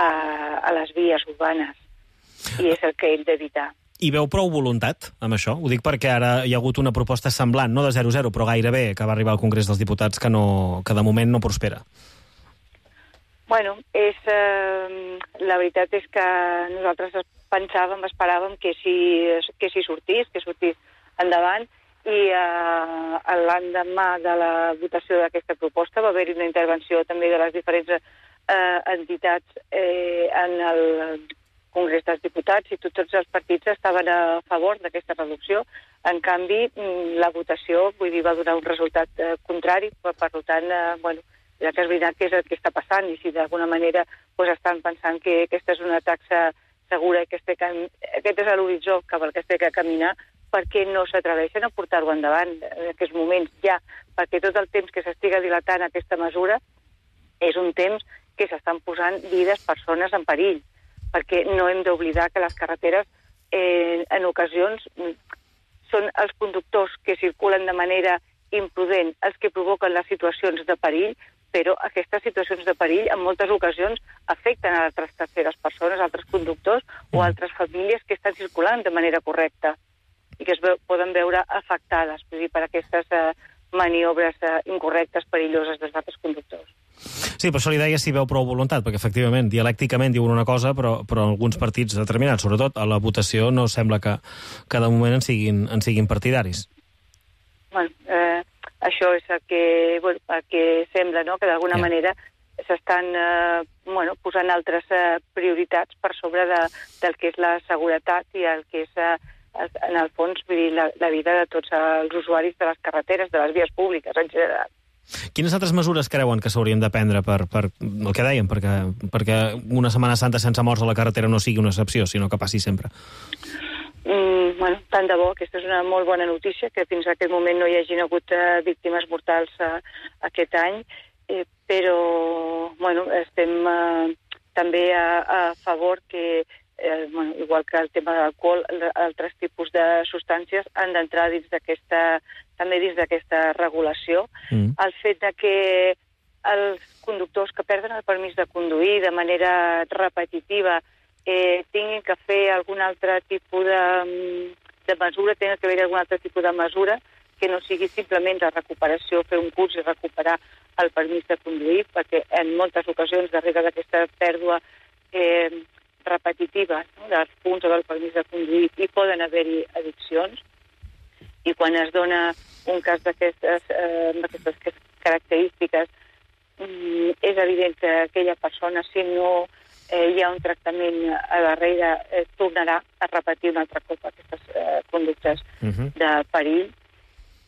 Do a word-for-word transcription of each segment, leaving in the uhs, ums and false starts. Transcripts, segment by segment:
a, a les vies urbanes. I és el que hem d'evitar. I veu prou voluntat amb això? Ho dic perquè ara hi ha hagut una proposta semblant, no de zero zero, però gairebé, que va arribar al Congrés dels Diputats, que, no, que de moment no prospera. Bueno, és, eh, la veritat és que nosaltres pensàvem, esperàvem que si, que si sortís, que sortís endavant, i eh, l'endemà de la votació d'aquesta proposta va haver-hi una intervenció també de les diferents eh, entitats eh, en el Congrés dels Diputats, i tots els partits estaven a favor d'aquesta reducció. En canvi, la votació, vull dir, va donar un resultat eh, contrari, per, per tant, eh, bueno, ja que és veritat que és el que està passant, i si d'alguna manera pues, estan pensant que aquesta és una taxa segura i que este cam... aquest és l'horitzó cap al que es té que caminar, perquè no s'atreveixen a portar-ho endavant en aquests moments ja, perquè tot el temps que s'estiga dilatant aquesta mesura és un temps que s'estan posant vides, persones en perill, perquè no hem d'oblidar que les carreteres eh, en ocasions són els conductors que circulen de manera imprudent els que provoquen les situacions de perill, però aquestes situacions de perill en moltes ocasions afecten a altres terceres persones, altres conductors o altres famílies que estan circulant de manera correcta i que es veu, poden veure afectades, vull dir, per aquestes eh, maniobres eh, incorrectes, perilloses dels altres conductors. Sí, per això li deia si veu prou voluntat, perquè efectivament, dialècticament diuen una cosa, però, però alguns partits determinats, sobretot a la votació, no sembla que, que de moment en siguin, en siguin partidaris. Bueno, eh, això és el que, bueno, el que sembla, no?, que d'alguna yeah. manera s'estan eh, bueno, posant altres eh, prioritats per sobre de, del que és la seguretat i el que és, eh, en el fons, vull dir, la, la vida de tots els usuaris de les carreteres, de les vies públiques en general. Quines altres mesures creuen que s'haurien de prendre per, per el que dèiem, perquè, perquè una Setmana Santa sense morts a la carretera no sigui una excepció, sinó que passi sempre? Mm, bueno, tant de bo, aquesta és una molt bona notícia, que fins a aquest moment no hi hagin hagut eh, víctimes mortals eh, aquest any, eh, però bueno, estem eh, també a, a favor que, eh, bueno, igual que el tema de l'alcohol, altres tipus de substàncies han d'entrar dins d'aquesta, també dins d'aquesta regulació. Mm. El fet de que els conductors que perden el permís de conduir de manera repetitiva Eh, tinguin que fer algun altre tipus de, de mesura, tinguin que haver algun altre tipus de mesura que no sigui simplement la recuperació, fer un curs i recuperar el permís de conduir, perquè en moltes ocasions, darrere d'aquesta pèrdua eh, repetitiva, no?, dels punts o del permís de conduir, hi poden haver-hi addiccions, i quan es dona un cas d'aquestes eh, característiques, mm, és evident que aquella persona, si no Eh, hi ha un tractament a darrere, eh, tornarà a repetir un altre cop aquestes eh, conductes uh-huh. de perill.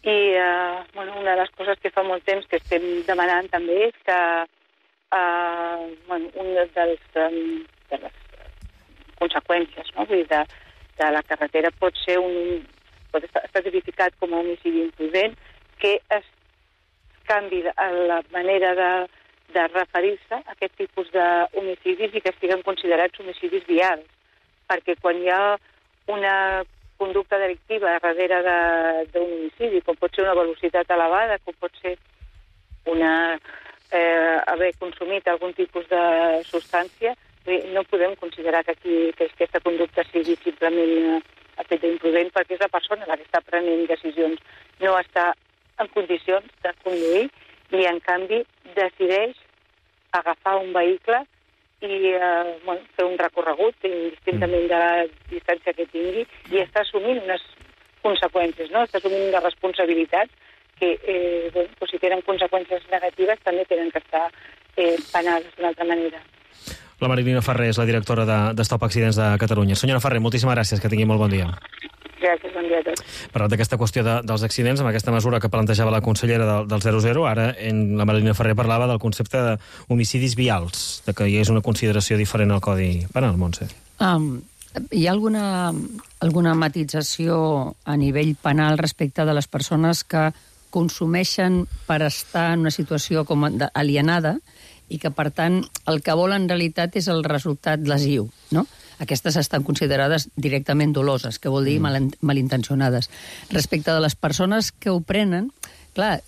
I eh, bueno, una de les coses que fa molt temps que estem demanant també és que eh, bueno, una dels, um, de les conseqüències, no?, vull dir, de, de la carretera pot ser un, pot estar, estar tipificat com a homicidi imprudent, que es canvi la manera de de referir-se a aquest tipus d'homicidis i que estiguin considerats homicidis vials. Perquè quan hi ha una conducta delictiva darrere d'un homicidi, com pot ser una velocitat elevada, com pot ser una, eh, haver consumit algun tipus de substància, no podem considerar que, aquí, que aquesta conducta sigui simplement a fet d'imprudent, perquè és la persona la que està prenent decisions. No està en condicions de conduir i, en canvi, decideix agafar un vehicle i eh, bueno, fer un recorregut indistintament de la distància que tingui i està assumint unes conseqüències, no? Està assumint unes responsabilitats que, eh, bueno, pues, si tenen conseqüències negatives, també tenen que estar eh, penades d'una altra manera. La Marilina Ferrer és la directora de, de Stop Accidents de Catalunya. Senyora Ferrer, moltíssimes gràcies, que tingui molt bon dia. Gràcies, bon dia a tots. Parlant d'aquesta qüestió de, dels accidents, amb aquesta mesura que plantejava la consellera del, del zero zero, ara en la Marilina Ferrer parlava del concepte d'homicidis vials, de que hi és una consideració diferent al Codi Penal, Montse. Um, hi ha alguna, alguna matització a nivell penal respecte de les persones que consumeixen per estar en una situació com alienada i que, per tant, el que volen en realitat és el resultat lesiu, no? Aquestes estan considerades directament doloses, que vol dir mal, malintencionades. Respecte de les persones que ho prenen, clar,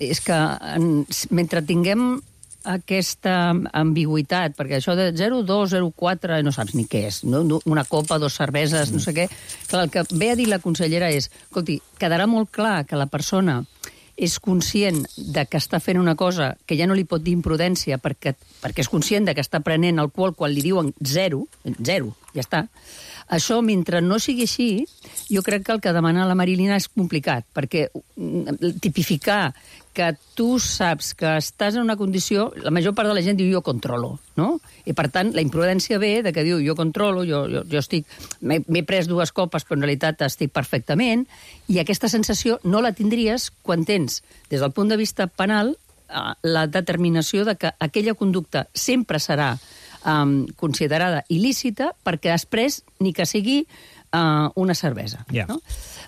és que en, mentre tinguem aquesta ambigüitat, perquè això de zero coma dos, zero coma quatre, no saps ni què és, no? Una copa, dos cerveses, no sé què. Clar, el que ve a dir la consellera és, escolti, quedarà molt clar que la persona és conscient de que està fent una cosa que ja no li pot dir imprudència perquè, perquè és conscient de que està prenent alcohol quan li diuen zero, zero, ja està. Això, mentre no sigui així, jo crec que el que demana la Marilina és complicat, perquè tipificar que tu saps que estàs en una condició... La major part de la gent diu jo controlo, no? I, per tant, la imprudència ve de que diu jo controlo, jo, jo, jo estic... M'he pres dues copes, però en realitat estic perfectament, i aquesta sensació no la tindries quan tens, des del punt de vista penal, la determinació de que aquella conducta sempre serà um, considerada il·lícita perquè després ni que sigui uh, una cervesa. Yeah. No?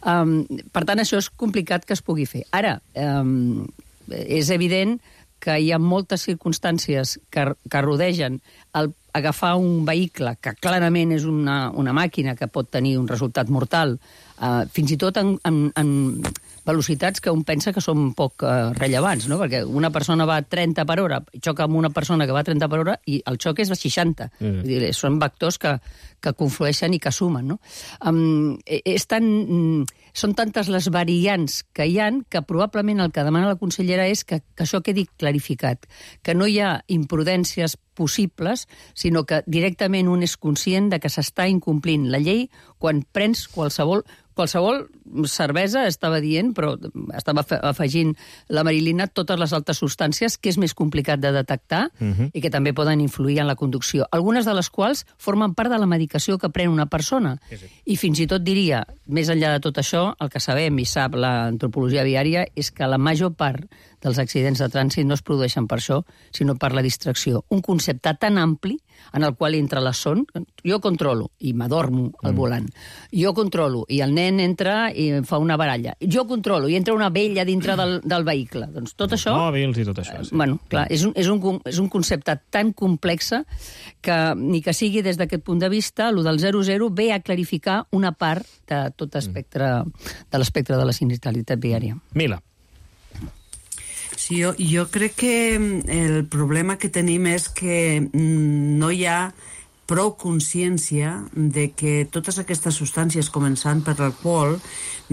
Um, per tant, això és complicat que es pugui fer. Ara, um, és evident que hi ha moltes circumstàncies que, que rodegen el agafar un vehicle que clarament és una, una màquina que pot tenir un resultat mortal, uh, fins i tot en, en, en velocitats que un pensa que són poc uh, rellevants, no? Perquè una persona va a trenta per hora, xoca amb una persona que va a trenta per hora i el xoc és de seixanta. Mm. Vull dir, són vectors que, que conflueixen i que sumen, no? Um, és tan, són tantes les variants que hi han que probablement el que demana la consellera és que, que això quedi clarificat, que no hi ha imprudències possibles, sinó que directament un és conscient de que s'està incomplint la llei quan prens qualsevol qualsevol cervesa, estava dient, però estava afegint la Marilina totes les altres substàncies que és més complicat de detectar uh-huh. i que també poden influir en la conducció. Algunes de les quals formen part de la medicació que pren una persona. Sí, sí. I fins i tot diria, més enllà de tot això, el que sabem i sap l'antropologia viària és que la major part dels accidents de trànsit no es produeixen per això, sinó per la distracció. Un concepte tan ampli en el qual entra la son, jo controlo i m'adormo al mm. volant. Jo controlo i el nen entra i fa una baralla. Jo controlo i entra una vella dintre del, del vehicle. Doncs tot això... Mòbils i tot això. Sí. Eh, bueno, clar, és un, és, un, és un concepte tan complex que ni que sigui des d'aquest punt de vista, el del zero zero ve a clarificar una part de tot espectre, de l'espectre de la sinistralitat viària. Mila. Sí, jo, jo crec que el problema que tenim és que no hi ha prou consciència de que totes aquestes substàncies, començant per l'alcohol,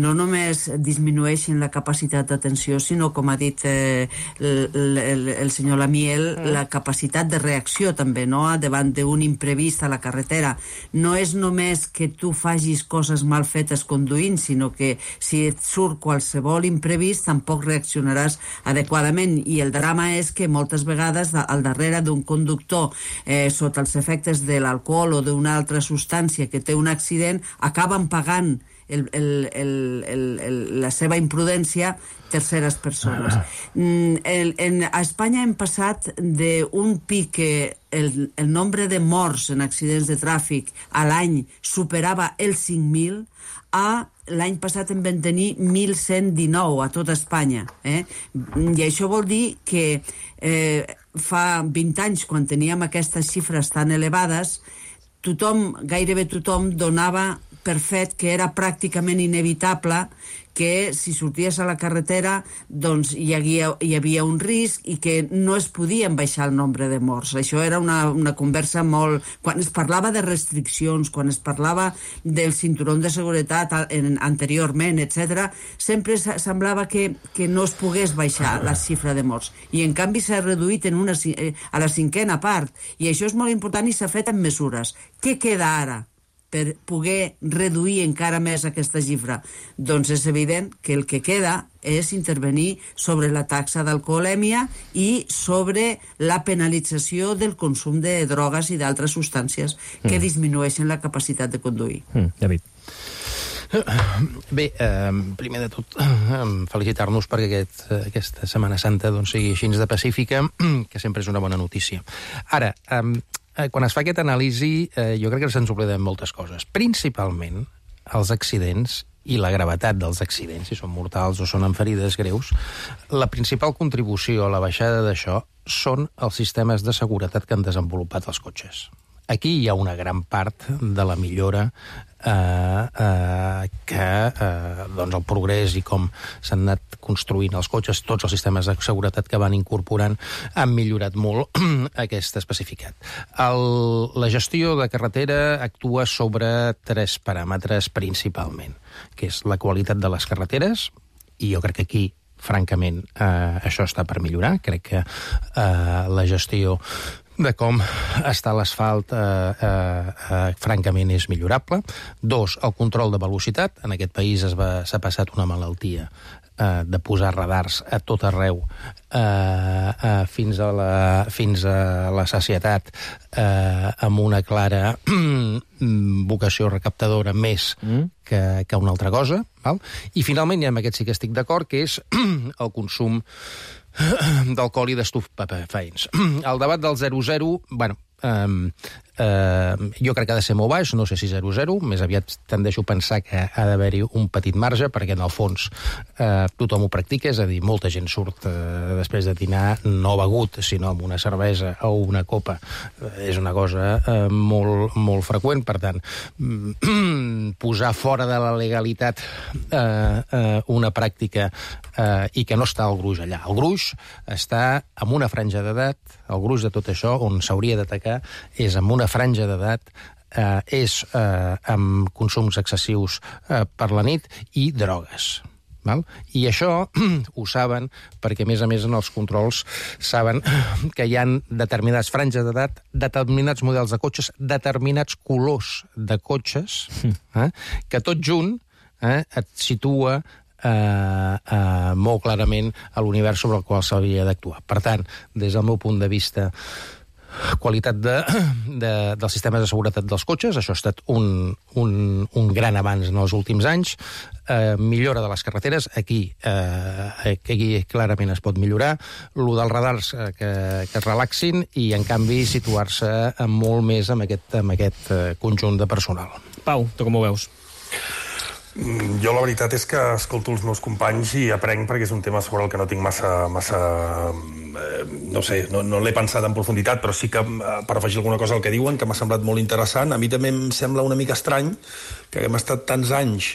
no només disminueixen la capacitat d'atenció, sinó, com ha dit eh, el, el, el senyor Lamiel, mm. la capacitat de reacció també, no? Davant d'un imprevist a la carretera. No és només que tu facis coses mal fetes conduint, sinó que si et surt qualsevol imprevist tampoc reaccionaràs adequadament. I el drama és que moltes vegades al darrere d'un conductor eh, sota els efectes de l'alcohol o d'una altra substància que té un accident, acaben pagant el, el, el, el, el, la seva imprudència terceres persones. Mm, el, en, a Espanya hem passat d'un pic que el, el nombre de morts en accidents de tràfic a l'any superava els cinc mil a l'any passat en vam tenir mil cent dinou a tot Espanya. Eh? I això vol dir que eh, fa vint anys, quan teníem aquestes xifres tan elevades, tothom, gairebé tothom, donava per fet que era pràcticament inevitable que si sorties a la carretera doncs hi havia, hi havia un risc i que no es podien baixar el nombre de morts. Això era una, una conversa molt... Quan es parlava de restriccions, quan es parlava del cinturó de seguretat en, anteriorment, etcètera, sempre semblava que, que no es pogués baixar la xifra de morts. I en canvi s'ha reduït en una, a la cinquena part. I això és molt important i s'ha fet amb mesures. Què queda ara per poder reduir encara més aquesta xifra? Doncs és evident que el que queda és intervenir sobre la taxa d'alcoholèmia i sobre la penalització del consum de drogues i d'altres substàncies que mm. disminueixen la capacitat de conduir. Mm, David. Bé, eh, primer de tot, eh, felicitar-nos perquè aquest, aquesta Setmana Santa doncs, sigui així de pacífica, que sempre és una bona notícia. Ara, eh, quan es fa aquesta anàlisi, eh, jo crec que se'ns obliden moltes coses. Principalment els accidents i la gravetat dels accidents, si són mortals o són amb ferides greus. La principal contribució a la baixada d'això són els sistemes de seguretat que han desenvolupat els cotxes. aquí hi ha una gran part de la millora eh, eh, que eh, doncs el progrés i com s'han anat construint els cotxes, tots els sistemes de seguretat que van incorporant han millorat molt aquest especificat. El, la gestió de carretera actua sobre tres paràmetres principalment, que és la qualitat de les carreteres, i jo crec que aquí francament, eh, això està per millorar. Crec que eh, la gestió de com està l'asfalt eh, eh, eh, francament és millorable. Dos, el control de velocitat. En aquest país es va, s'ha passat una malaltia eh, de posar radars a tot arreu eh, eh, fins, a la, fins a la sacietat eh, amb una clara vocació recaptadora més mm. que, que una altra cosa. Val? I finalment, i amb aquest sí que estic d'acord, que és el consum d'alcohol i d'estupefaents. El debat del zero zero, bueno, eh, eh, jo crec que ha de ser molt baix, no sé si zero zero, més aviat tendeixo a pensar que ha d'haver-hi un petit marge, perquè en el fons eh, tothom ho practica, és a dir, molta gent surt eh, després de dinar no begut, sinó amb una cervesa o una copa. Eh, és una cosa eh, molt, molt freqüent, per tant, posar fora de la legalitat eh, eh, una pràctica eh, i que no està el gruix allà. El gruix està en una franja d'edat, el gruix de tot això, on s'hauria d'atacar, és amb una franja d'edat, eh, és eh, amb consums excessius eh, per la nit i drogues. Val? I això ho saben perquè, a més a més, en els controls saben que hi ha determinades franges d'edat, determinats models de cotxes, determinats colors de cotxes, eh, que tot junt eh, et situa eh, eh, molt clarament a l'univers sobre el qual s'hauria d'actuar. Per tant, des del meu punt de vista, qualitat de, de, dels sistemes de seguretat dels cotxes, això ha estat un, un, un gran avanç en els últims anys, eh, millora de les carreteres, aquí, eh, aquí clarament es pot millorar, lo dels radars eh, que, que es relaxin i, en canvi, situar-se molt més amb aquest, amb aquest eh, conjunt de personal. Pau, tu com ho veus? Jo la veritat és que escolto els meus companys i aprenc, perquè és un tema sobre el que no tinc massa... massa eh, no sé, no, no l'he pensat en profunditat, però sí que, eh, per afegir alguna cosa al que diuen, que m'ha semblat molt interessant, a mi també em sembla una mica estrany que hem estat tants anys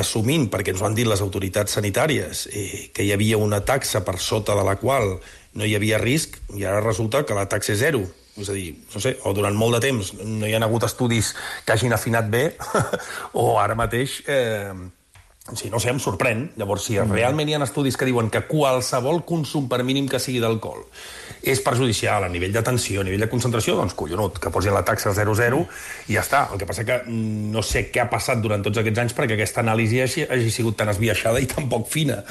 assumint, perquè ens ho han dit les autoritats sanitàries, eh, que hi havia una taxa per sota de la qual no hi havia risc, i ara resulta que la taxa és zero. És a dir, no sé, o durant molt de temps no hi ha hagut estudis que hagin afinat bé, o ara mateix, eh, sí, no sé, em sorprèn. Llavors, si realment hi ha estudis que diuen que qualsevol consum, per mínim que sigui d'alcohol, és perjudicial a nivell de tensió, a nivell de concentració, doncs collonut, que posin la taxa zero zero i ja està. El que passa que no sé què ha passat durant tots aquests anys perquè aquesta anàlisi hagi, hagi sigut tan esbiaixada i tan poc fina.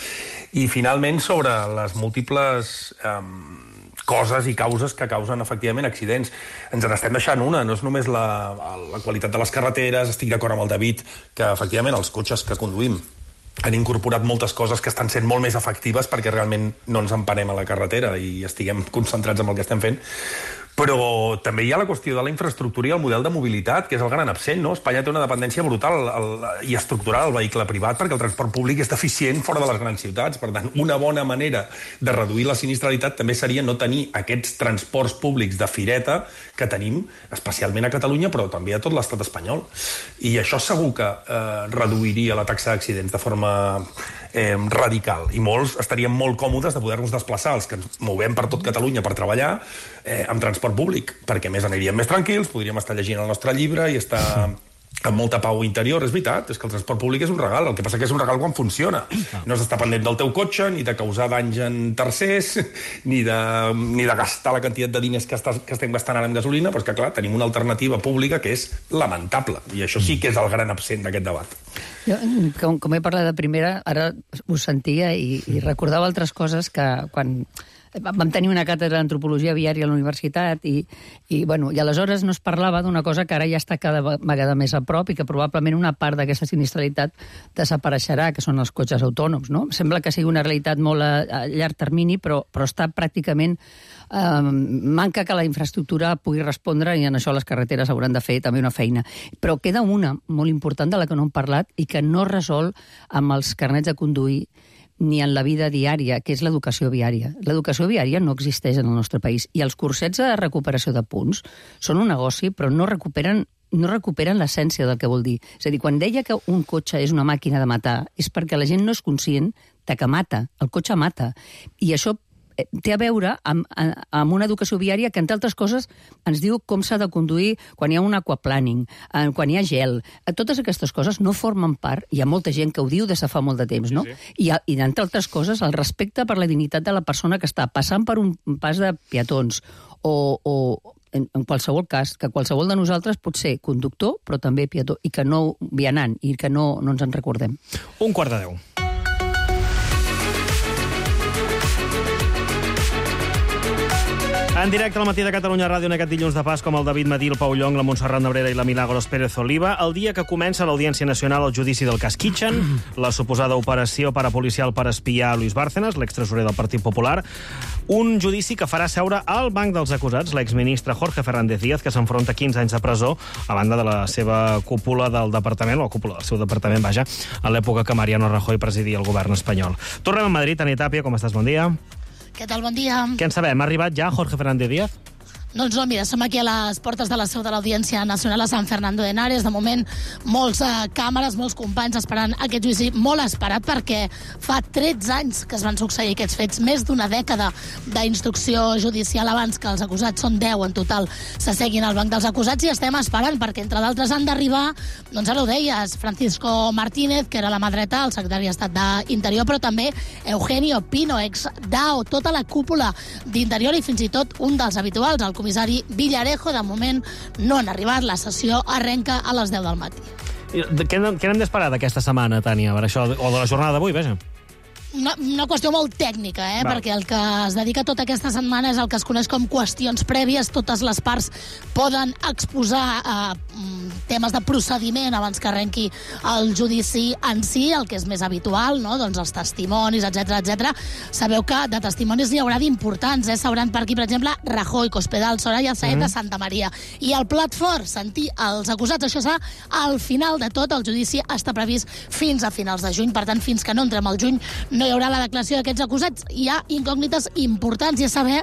I finalment, sobre les múltiples Eh, coses i causes que causen, efectivament, accidents. Ens n'estem deixant una, no és només la, la qualitat de les carreteres, estic d'acord amb el David, que, efectivament, els cotxes que conduïm han incorporat moltes coses que estan sent molt més efectives perquè realment no ens emparem a la carretera i estiguem concentrats en el que estem fent. Però també hi ha la qüestió de la infraestructura i el model de mobilitat, que és el gran absent, no? Espanya té una dependència brutal el, i estructural al vehicle privat perquè el transport públic és deficient fora de les grans ciutats. Per tant, una bona manera de reduir la sinistralitat també seria no tenir aquests transports públics de fireta que tenim, especialment a Catalunya, però també a tot l'estat espanyol. I això segur que eh, reduiria la taxa d'accidents de forma eh, radical. I molts estaríem molt còmodes de poder-nos desplaçar, els que ens movem per tot Catalunya per treballar, eh, amb transport públic, perquè més aniríem més tranquils, podríem estar llegint el nostre llibre i estar amb molta pau interior. És veritat, és que el transport públic és un regal, el que passa que és un regal quan funciona. No s'està pendent del teu cotxe, ni de causar danys en tercers, ni de, ni de gastar la quantitat de diners que, estàs, que estem gastant ara en gasolina, però és que, clar, tenim una alternativa pública que és lamentable, i això sí que és el gran absent d'aquest debat. Jo, com, com he parlat de primera, ara us sentia i, i recordava altres coses que quan vam tenir una càtedra d'antropologia viària a la universitat i, i, bueno, i aleshores no es parlava d'una cosa que ara ja està cada vegada més a prop i que probablement una part d'aquesta sinistralitat desapareixerà, que són els cotxes autònoms, no? Sembla que sigui una realitat molt a, a llarg termini, però, però està pràcticament... Eh, manca que la infraestructura pugui respondre i en això les carreteres hauran de fer també una feina. Però queda una molt important de la que no hem parlat i que no resol amb els carnets de conduir, ni en la vida diària, que és l'educació viària. L'educació viària no existeix en el nostre país. I els cursets de recuperació de punts són un negoci, però no recuperen no recuperen l'essència del que vol dir. És a dir, quan deia que un cotxe és una màquina de matar, és perquè la gent no és conscient de que mata. El cotxe mata. I això té a veure amb, amb una educació viària que, entre altres coses, ens diu com s'ha de conduir quan hi ha un aquaplaning, quan hi ha gel. Totes aquestes coses no formen part, hi ha molta gent que ho diu des de fa molt de temps, no? Sí, sí. I, i entre altres coses, el respecte per la dignitat de la persona que està passant per un pas de peatons o, o en, en qualsevol cas, que qualsevol de nosaltres pot ser conductor, però també peató, i que no vianant, i que no, no ens en recordem. Un quart de deu. En directe al Matí de Catalunya Ràdio en aquest dilluns de Pasqua amb el David Madí, el Pau Llong, la Montserrat Nebrera i la Milagros Pérez Oliva, el dia que comença l'Audiència Nacional al judici del cas Kitchen, la suposada operació parapolicial per espiar Luis Bárcenas, l'extresorer del Partit Popular, un judici que farà seure al banc dels acusats l'exministre Jorge Fernández Díaz, que s'enfronta a quinze anys de presó a banda de la seva cúpula del departament, o la cúpula del seu departament, vaja, a l'època que Mariano Rajoy presidia el govern espanyol. Tornem a Madrid. Tani Tàpia, com estàs? Bon dia. Què tal? Bon dia. Què en sabem? Ha arribat ja Jorge Fernández Díaz? Doncs no, mira, som aquí a les portes de la seu de l'Audiència Nacional a San Fernando de Henares. De moment, molts eh, càmeres, molts companys esperant aquest judici, molt esperat, perquè fa tretze anys que es van succeir aquests fets, més d'una dècada d'instrucció judicial abans que els acusats, són deu en total, s'asseguin al banc dels acusats, i estem esperant, perquè entre d'altres han d'arribar, doncs ara ho deies, Francisco Martínez, que era la mà dreta, el secretari d'Estat d'Interior, però també Eugenio Pino, ex D A O, tota la cúpula d'Interior i fins i tot un dels habituals, el comissari Villarejo. De moment no han arribat, la sessió arrenca a les deu del matí. Què n'hem d'esperar d'aquesta setmana, Tània, per això, o de la jornada d'avui, vaja? Una, una qüestió molt tècnica, eh? Val. Perquè el que es dedica tota aquesta setmana és el que es coneix com qüestions prèvies. Totes les parts poden exposar eh, temes de procediment abans que arrenqui el judici en si, el que és més habitual, no? Doncs els testimonis, etcètera, etcètera. Sabeu que de testimonis n'hi haurà d'importants, eh? S'hauran per aquí, per exemple, Rajoy, Cospedal, Soraya Sáenz de mm. Santa Maria. I el plat fort, sentir els acusats, això serà al final de tot. El judici està previst fins a finals de juny, per tant, fins que no entrem al juny no hi haurà la declaració d'aquests acusats. Hi ha incògnites importants, i a saber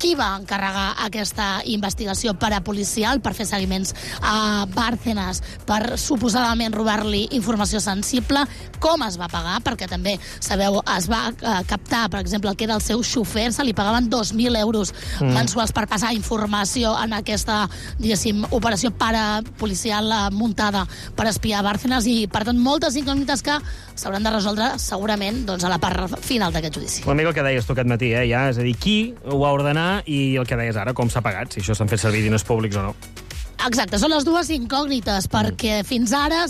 qui va encarregar aquesta investigació parapolicial per fer seguiments a Bárcenas, per suposadament robar-li informació sensible, com es va pagar, perquè també, sabeu, es va eh, captar, per exemple, el que era el seu xofer, se li pagaven dos mil euros mm. mensuals per passar informació en aquesta, diguéssim, operació parapolicial eh, muntada per espiar Bárcenas, i, per tant, moltes incògnites que s'hauran de resoldre segurament doncs, a la part final d'aquest judici. Una mica el que deies tu aquest matí, eh, ja, és a dir, qui ho va ordenar i el que deies ara, com s'ha pagat, si això s'han fet servir diners públics o no. Exacte, són les dues incògnites, perquè fins ara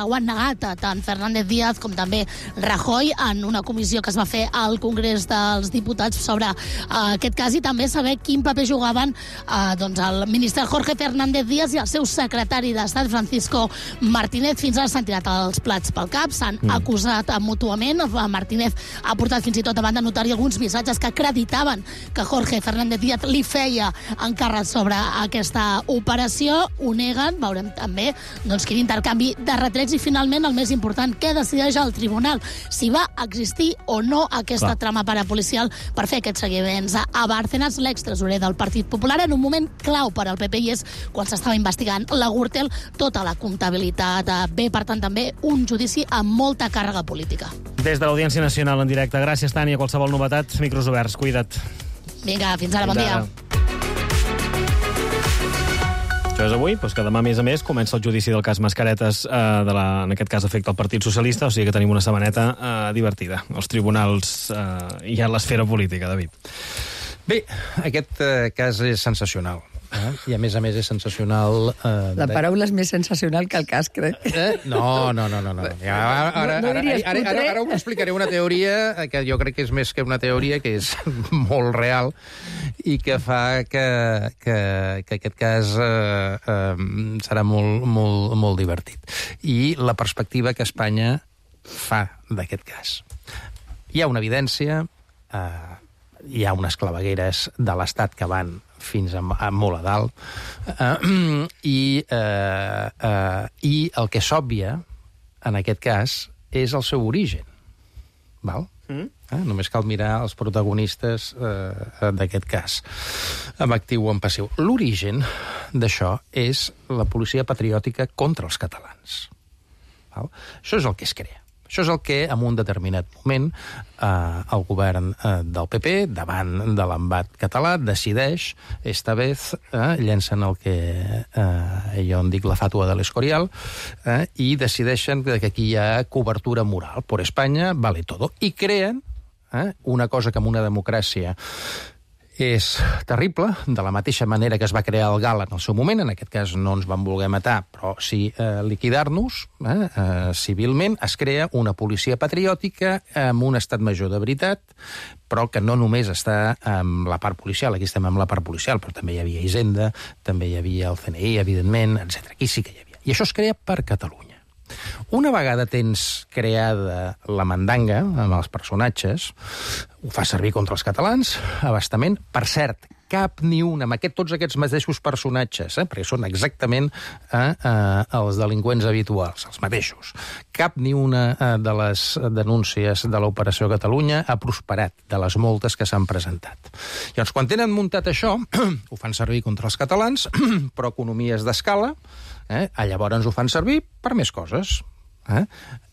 ho han negat tant Fernández Díaz com també Rajoy en una comissió que es va fer al Congrés dels Diputats sobre uh, aquest cas, i també saber quin paper jugaven uh, doncs el ministre Jorge Fernández Díaz i el seu secretari d'Estat, Francisco Martínez. Fins ara s'han tirat els plats pel cap, s'han mm. acusat mútuament. Martínez ha portat fins i tot davant de notari alguns missatges que acreditaven que Jorge Fernández Díaz li feia encàrrec sobre aquesta operació. Ho neguen, veurem també doncs, quin intercanvi de retrets, i finalment el més important, què decideix el tribunal, si va existir o no aquesta Clar. trama parapolicial per fer aquests seguiments a Bárcenas, l'extresorer del Partit Popular, en un moment clau per al P P, i és quan s'estava investigant la Gürtel, tota la comptabilitat. Bé, per tant, també un judici amb molta càrrega política. Des de l'Audiència Nacional en directe. Gràcies, Tània. Qualsevol novetat, micros oberts. Cuida't. Vinga, fins ara, bon dia. Això és avui, doncs que demà, a més a més, comença el judici del cas Mascaretes, eh, de la, en aquest cas afecta el Partit Socialista, o sigui que tenim una setmaneta eh, divertida. Els tribunals eh, i a l'esfera política, David. Bé, aquest eh, cas és sensacional. Eh? I a més a més és sensacional... Eh, la paraula és més sensacional que el cas, crec. Eh? No, no, no, no. no. Ja, ara, ara, ara, ara, ara, ara us explicaré una teoria que jo crec que és més que una teoria, que és molt real i que fa que, que, que aquest cas eh, eh, serà molt, molt, molt divertit. I la perspectiva que Espanya fa d'aquest cas. Hi ha una evidència, eh, hi ha unes clavegueres de l'Estat que van fins a, a molt a dalt, uh, i, uh, uh, i el que s'òbvia en aquest cas és el seu origen. Val? Mm. Eh? Només cal mirar els protagonistes eh, d'aquest cas, en actiu o en passiu. L'origen d'això és la policia patriòtica contra els catalans. Val? Això és el que es crea. Això és el que, en un determinat moment, eh, el govern eh, del P P, davant de l'embat català, decideix, esta vez, eh, llencen el que eh, jo en dic la fàtua de l'Escorial, eh, i decideixen que aquí hi ha cobertura moral. Por Espanya vale todo. I creen eh, una cosa que en una democràcia és terrible, de la mateixa manera que es va crear el GAL en el seu moment, en aquest cas no ens van voler matar, però sí eh, liquidar-nos, eh, eh, civilment, es crea una policia patriòtica amb un estat major de veritat, però que no només està amb la part policial, aquí estem amb la part policial, però també hi havia Hisenda, també hi havia el C N I, evidentment, etcètera. Aquí sí que hi havia. I això es crea per Catalunya. Una vegada tens creada la mandanga amb els personatges, ho fa servir contra els catalans, abastament. Per cert, cap ni un, amb aquest, tots aquests mateixos personatges, eh, perquè són exactament eh, eh, els delinqüents habituals, els mateixos. Cap ni una eh, de les denúncies de l'Operació Catalunya ha prosperat, de les moltes que s'han presentat. Llavors, quan tenen muntat això, ho fan servir contra els catalans, però economies d'escala, Eh? llavors ho fan servir per més coses. Eh?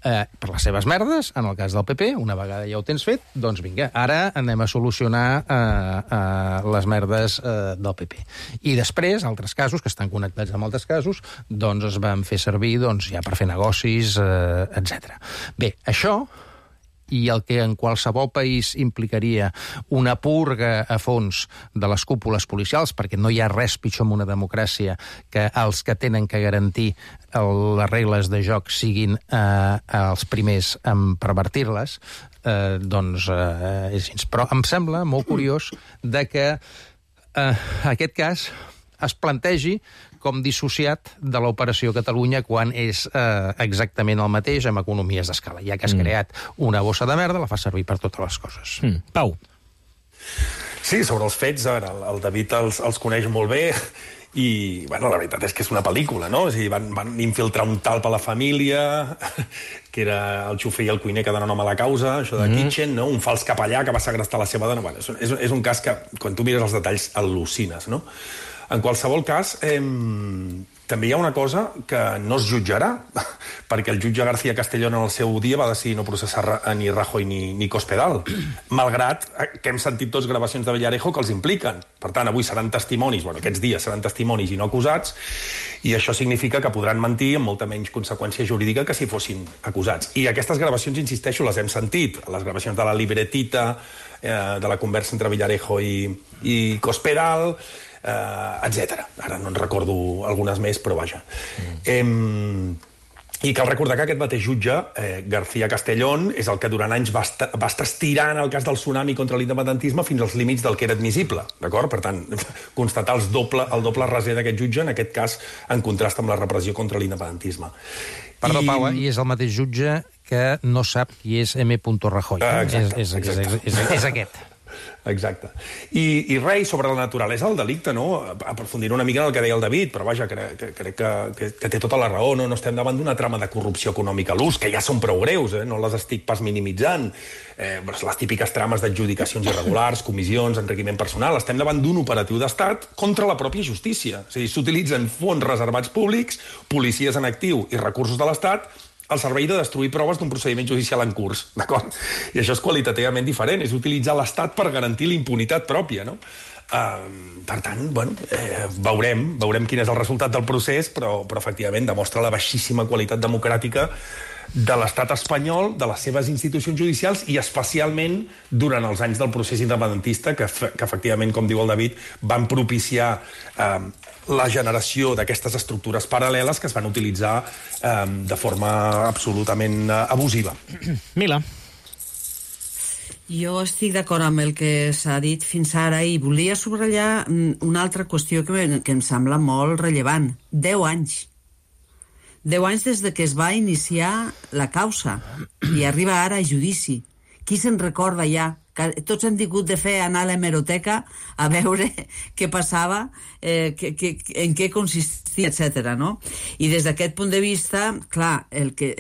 Eh, per les seves merdes, en el cas del P P, una vegada ja ho tens fet, doncs vinga, ara anem a solucionar eh, eh, les merdes eh, del P P. I després, altres casos, que estan connectats amb altres casos, doncs es van fer servir doncs, ja per fer negocis, eh, etcètera. Bé, això i el que en qualsevol país implicaria una purga a fons de les cúpules policials, perquè no hi ha res pitjor en una democràcia que els que tenen que garantir el, les regles de joc siguin eh, els primers en pervertir-les, eh, doncs eh, és així. Però em sembla molt curiós de que eh, aquest cas es plantegi com dissociat de l'Operació Catalunya quan és eh, exactament el mateix amb economies d'escala. Ja que has mm. creat una bossa de merda, la fa servir per totes les coses. Mm. Pau. Sí, sobre els fets, ara, el David els, els coneix molt bé i, bueno, la veritat és que és una pel·lícula, no? És a dir, van, van infiltrar un talp a la família, que era el xofer i el cuiner que donen nom a la causa, això de mm. Kitchen, no? Un fals capellà que va segrestar la seva dona. Bueno, és, és, és un cas que, quan tu mires els detalls, al·lucines, no? En qualsevol cas, eh, també hi ha una cosa que no es jutjarà, perquè el jutge García Castellón en el seu dia va decidir no processar ni Rajoy ni, ni Cospedal, malgrat que hem sentit tots gravacions de Villarejo que els impliquen. Per tant, avui seran testimonis, bueno, aquests dies seran testimonis i no acusats, i això significa que podran mentir amb molta menys conseqüència jurídica que si fossin acusats. I aquestes gravacions, insisteixo, les hem sentit, les gravacions de la libretita, eh, de la conversa entre Villarejo i, i Cospedal, Uh, etcètera. Ara no en recordo algunes més, però vaja. Mm. Eh, I cal recordar que aquest mateix jutge, eh, García Castellón, és el que durant anys va estar, va estar estirant el cas del tsunami contra l'independentisme fins als límits del que era admissible, d'acord? Per tant, constatar els doble, el doble raser d'aquest jutge, en aquest cas, en contrast amb la repressió contra l'independentisme. Perdó, I... Pau, i és el mateix jutge que no sap qui és M. Rajoy. Ah, exacte, és, és, exacte. És, és, és aquest. Exacte. I, i res, sobre la naturalesa del delicte, no? Aprofundiré una mica en el que deia el David, però vaja, crec, crec que, que, que té tota la raó, no? No estem davant d'una trama de corrupció econòmica a l'ús, que ja són prou greus, eh? No les estic pas minimitzant. Eh, les típiques trames d'adjudicacions irregulars, comissions, enriquiment personal. Estem davant d'un operatiu d'estat contra la pròpia justícia. És a dir, s'utilitzen fons reservats públics, policies en actiu i recursos de l'Estat al servei de destruir proves d'un procediment judicial en curs, d'acord? I això és qualitativament diferent, és utilitzar l'Estat per garantir l'impunitat pròpia, no? Uh, per tant, bueno, eh, veurem, veurem quin és el resultat del procés, però, però efectivament demostra la baixíssima qualitat democràtica de l'estat espanyol, de les seves institucions judicials i especialment durant els anys del procés independentista que, que efectivament, com diu el David, van propiciar eh, la generació d'aquestes estructures paral·leles que es van utilitzar eh, de forma absolutament eh, abusiva. Mila. Jo estic d'acord amb el que s'ha dit fins ara i volia subratllar una altra qüestió que, que em sembla molt rellevant. Deu anys. Deu anys des de que es va iniciar la causa i arriba ara a judici. Qui se'n recorda ja tots hem tingut de fer anar a l'hemeroteca a veure què passava, eh, que, que, en què consistia, etcètera, no? I des d'aquest punt de vista, clar, el que,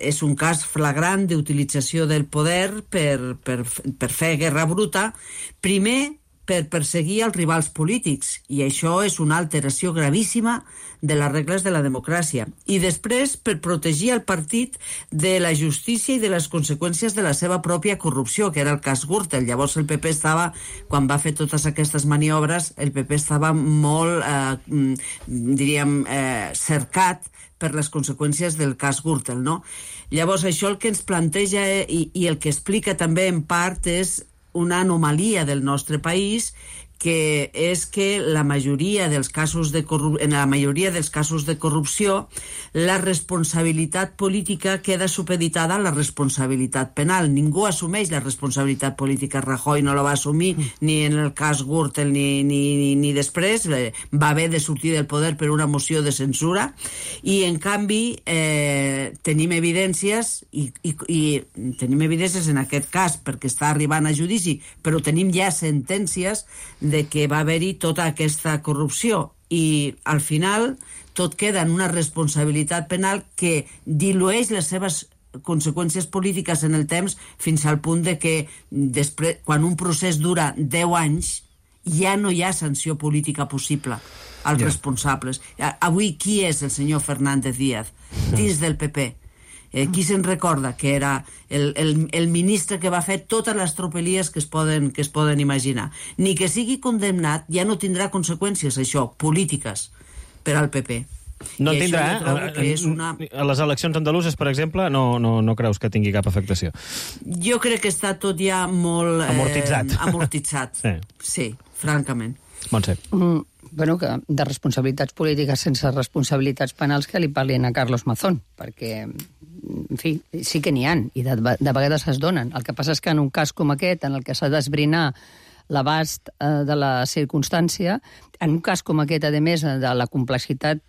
és un cas flagrant d'utilització del poder per, per, per fer guerra bruta, primer per perseguir els rivals polítics, i això és una alteració gravíssima de les regles de la democràcia. I després, per protegir el partit de la justícia i de les conseqüències de la seva pròpia corrupció, que era el cas Gürtel. Llavors el P P estava, quan va fer totes aquestes maniobres, el P P estava molt, eh, diríem, eh, cercat per les conseqüències del cas Gürtel, no? Llavors això el que ens planteja eh, i, i el que explica també en part és una anomalia del nostre país, que és que la majoria dels casos de corrup... en la majoria dels casos de corrupció la responsabilitat política queda supeditada a la responsabilitat penal. Ningú assumeix la responsabilitat política. Rajoy no la va assumir ni en el cas Gürtel ni, ni, ni, ni després. Va haver de sortir del poder per una moció de censura, i en canvi eh, tenim evidències i, i, i tenim evidències en aquest cas perquè està arribant a judici, però tenim ja sentències de que va haver-hi tota aquesta corrupció, i al final tot queda en una responsabilitat penal que dilueix les seves conseqüències polítiques en el temps, fins al punt de que després, quan un procés dura deu anys, ja no hi ha sanció política possible als yeah. responsables. Avui qui és el senyor Fernández Díaz dins del P P? Eh, qui se'n recorda que era el, el, el ministre que va fer totes les tropelies que es, poden, que es poden imaginar? Ni que sigui condemnat, ja no tindrà conseqüències, això, polítiques, per al P P. No en tindrà, eh? Una... A les eleccions andaluses, per exemple, no, no, no creus que tingui cap afectació? Jo crec que està tot ja molt... Amortitzat. Eh, amortitzat, sí. Sí, francament. Montse. Mm, bueno, que de responsabilitats polítiques sense responsabilitats penals que li parlin a Carlos Mazón, perquè, en fi, sí que n'hi ha, i de, de vegades es donen. El que passa és que en un cas com aquest, en el que s'ha d'esbrinar l'abast eh, de la circumstància, en un cas com aquest, a més de la complexitat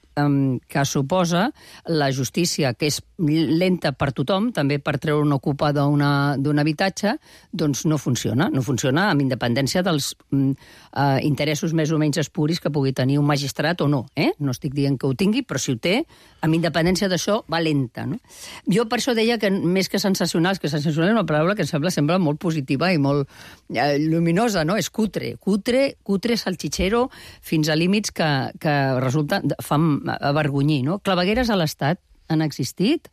que suposa la justícia, que és lenta per tothom, també per treure un ocupa d'un habitatge, doncs no funciona. No funciona amb independència dels mm, eh, interessos més o menys espuris que pugui tenir un magistrat o no. Eh? No estic dient que ho tingui, però si ho té, amb independència d'això, va lenta. No? Jo per això deia que més que sensacionals, que sensacional és una paraula que em sembla, sembla molt positiva i molt eh, luminosa, no? És cutre. Cutre, cutre salchichero, fins a límits que, que resulta, fan avergonyir, no? Clavegueres a l'Estat han existit,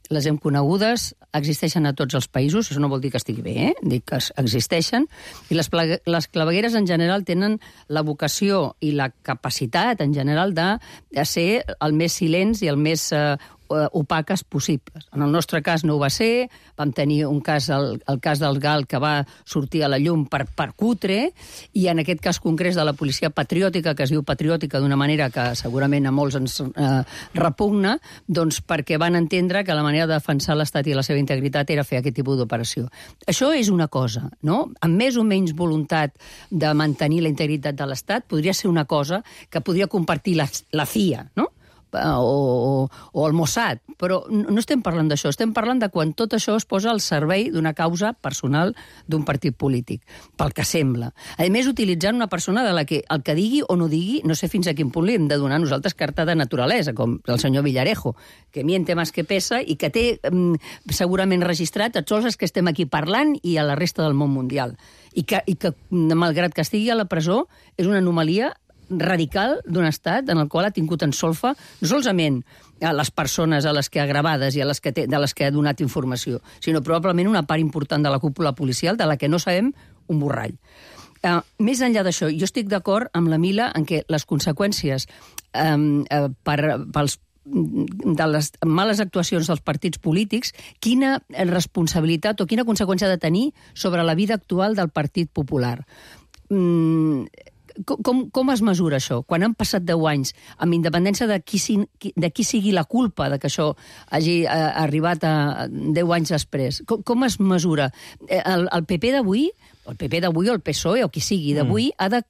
les hem conegudes, existeixen a tots els països, això no vol dir que estigui bé, eh? Dic que existeixen, i les, les clavegueres en general tenen la vocació i la capacitat en general de, de ser el més silents i el més eh, opaques possibles. En el nostre cas no ho va ser, vam tenir un cas, el, el cas del Gal, que va sortir a la llum per, per cutre, i en aquest cas concret de la policia patriòtica, que es diu patriòtica d'una manera que segurament a molts ens eh, repugna, doncs perquè van entendre que la manera de defensar l'Estat i la seva integritat era fer aquest tipus d'operació. Això és una cosa, no? Amb més o menys voluntat de mantenir la integritat de l'Estat, podria ser una cosa que podria compartir la, la C I A, no? O, o, o el Mossad, però no estem parlant d'això, estem parlant de quan tot això es posa al servei d'una causa personal d'un partit polític, pel que sembla. A més, utilitzant una persona de la que el que digui o no digui, no sé fins a quin punt li hem de donar nosaltres carta de naturalesa, com el senyor Villarejo, que miente más que pesa i que té mm, segurament registrat a tots els que estem aquí parlant i a la resta del món mundial. I que, i que malgrat que estigui a la presó, és una anomalia radical d'un estat en el qual ha tingut en solfa no solament a les persones a les que ha gravades i a les que té, de les que ha donat informació, sinó probablement una part important de la cúpula policial de la que no sabem un borrall. Uh, més enllà d'això, jo estic d'acord amb la Mila en què les conseqüències um, uh, per, pels de les males actuacions dels partits polítics, quina responsabilitat o quina conseqüència ha de tenir sobre la vida actual del Partit Popular. Mm, Com, com es mesura això? Quan han passat deu anys, amb independència de qui, de qui sigui la culpa de que això hagi eh, arribat a deu anys després, com, com es mesura? El, el P P d'avui, el P P d'avui o el P S O E o qui sigui d'avui, mm. ha de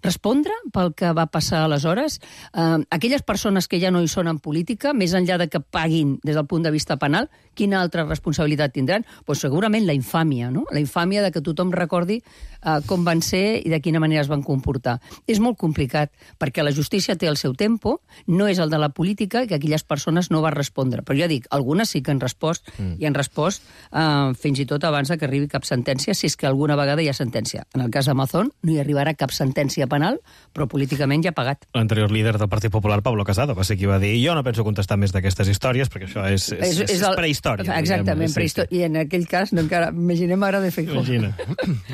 respondre pel que va passar aleshores? Eh, aquelles persones que ja no hi són en política, més enllà de que paguin des del punt de vista penal, quina altra responsabilitat tindran? Pues segurament la infàmia, no? La infàmia de que tothom recordi eh, com van ser i de quina manera es van comportar. És molt complicat, perquè la justícia té el seu tempo, no és el de la política, i que aquelles persones no van respondre. Però ja dic, algunes sí que han respost, mm. i han respost eh, fins i tot abans que arribi cap sentència, si és que alguna vegada hi ha sentència. En el cas d'Amazon no hi arribarà cap sentència penal, però políticament ja ha pagat. L'anterior líder del Partit Popular, Pablo Casado, va ser qui va dir jo no penso contestar més d'aquestes històries, perquè això és, és, és, és, és el... prehistòria. Exactament, diguem, prehistòria. I en aquell cas, no, encara, imaginem ara de Feijóo. Imagina.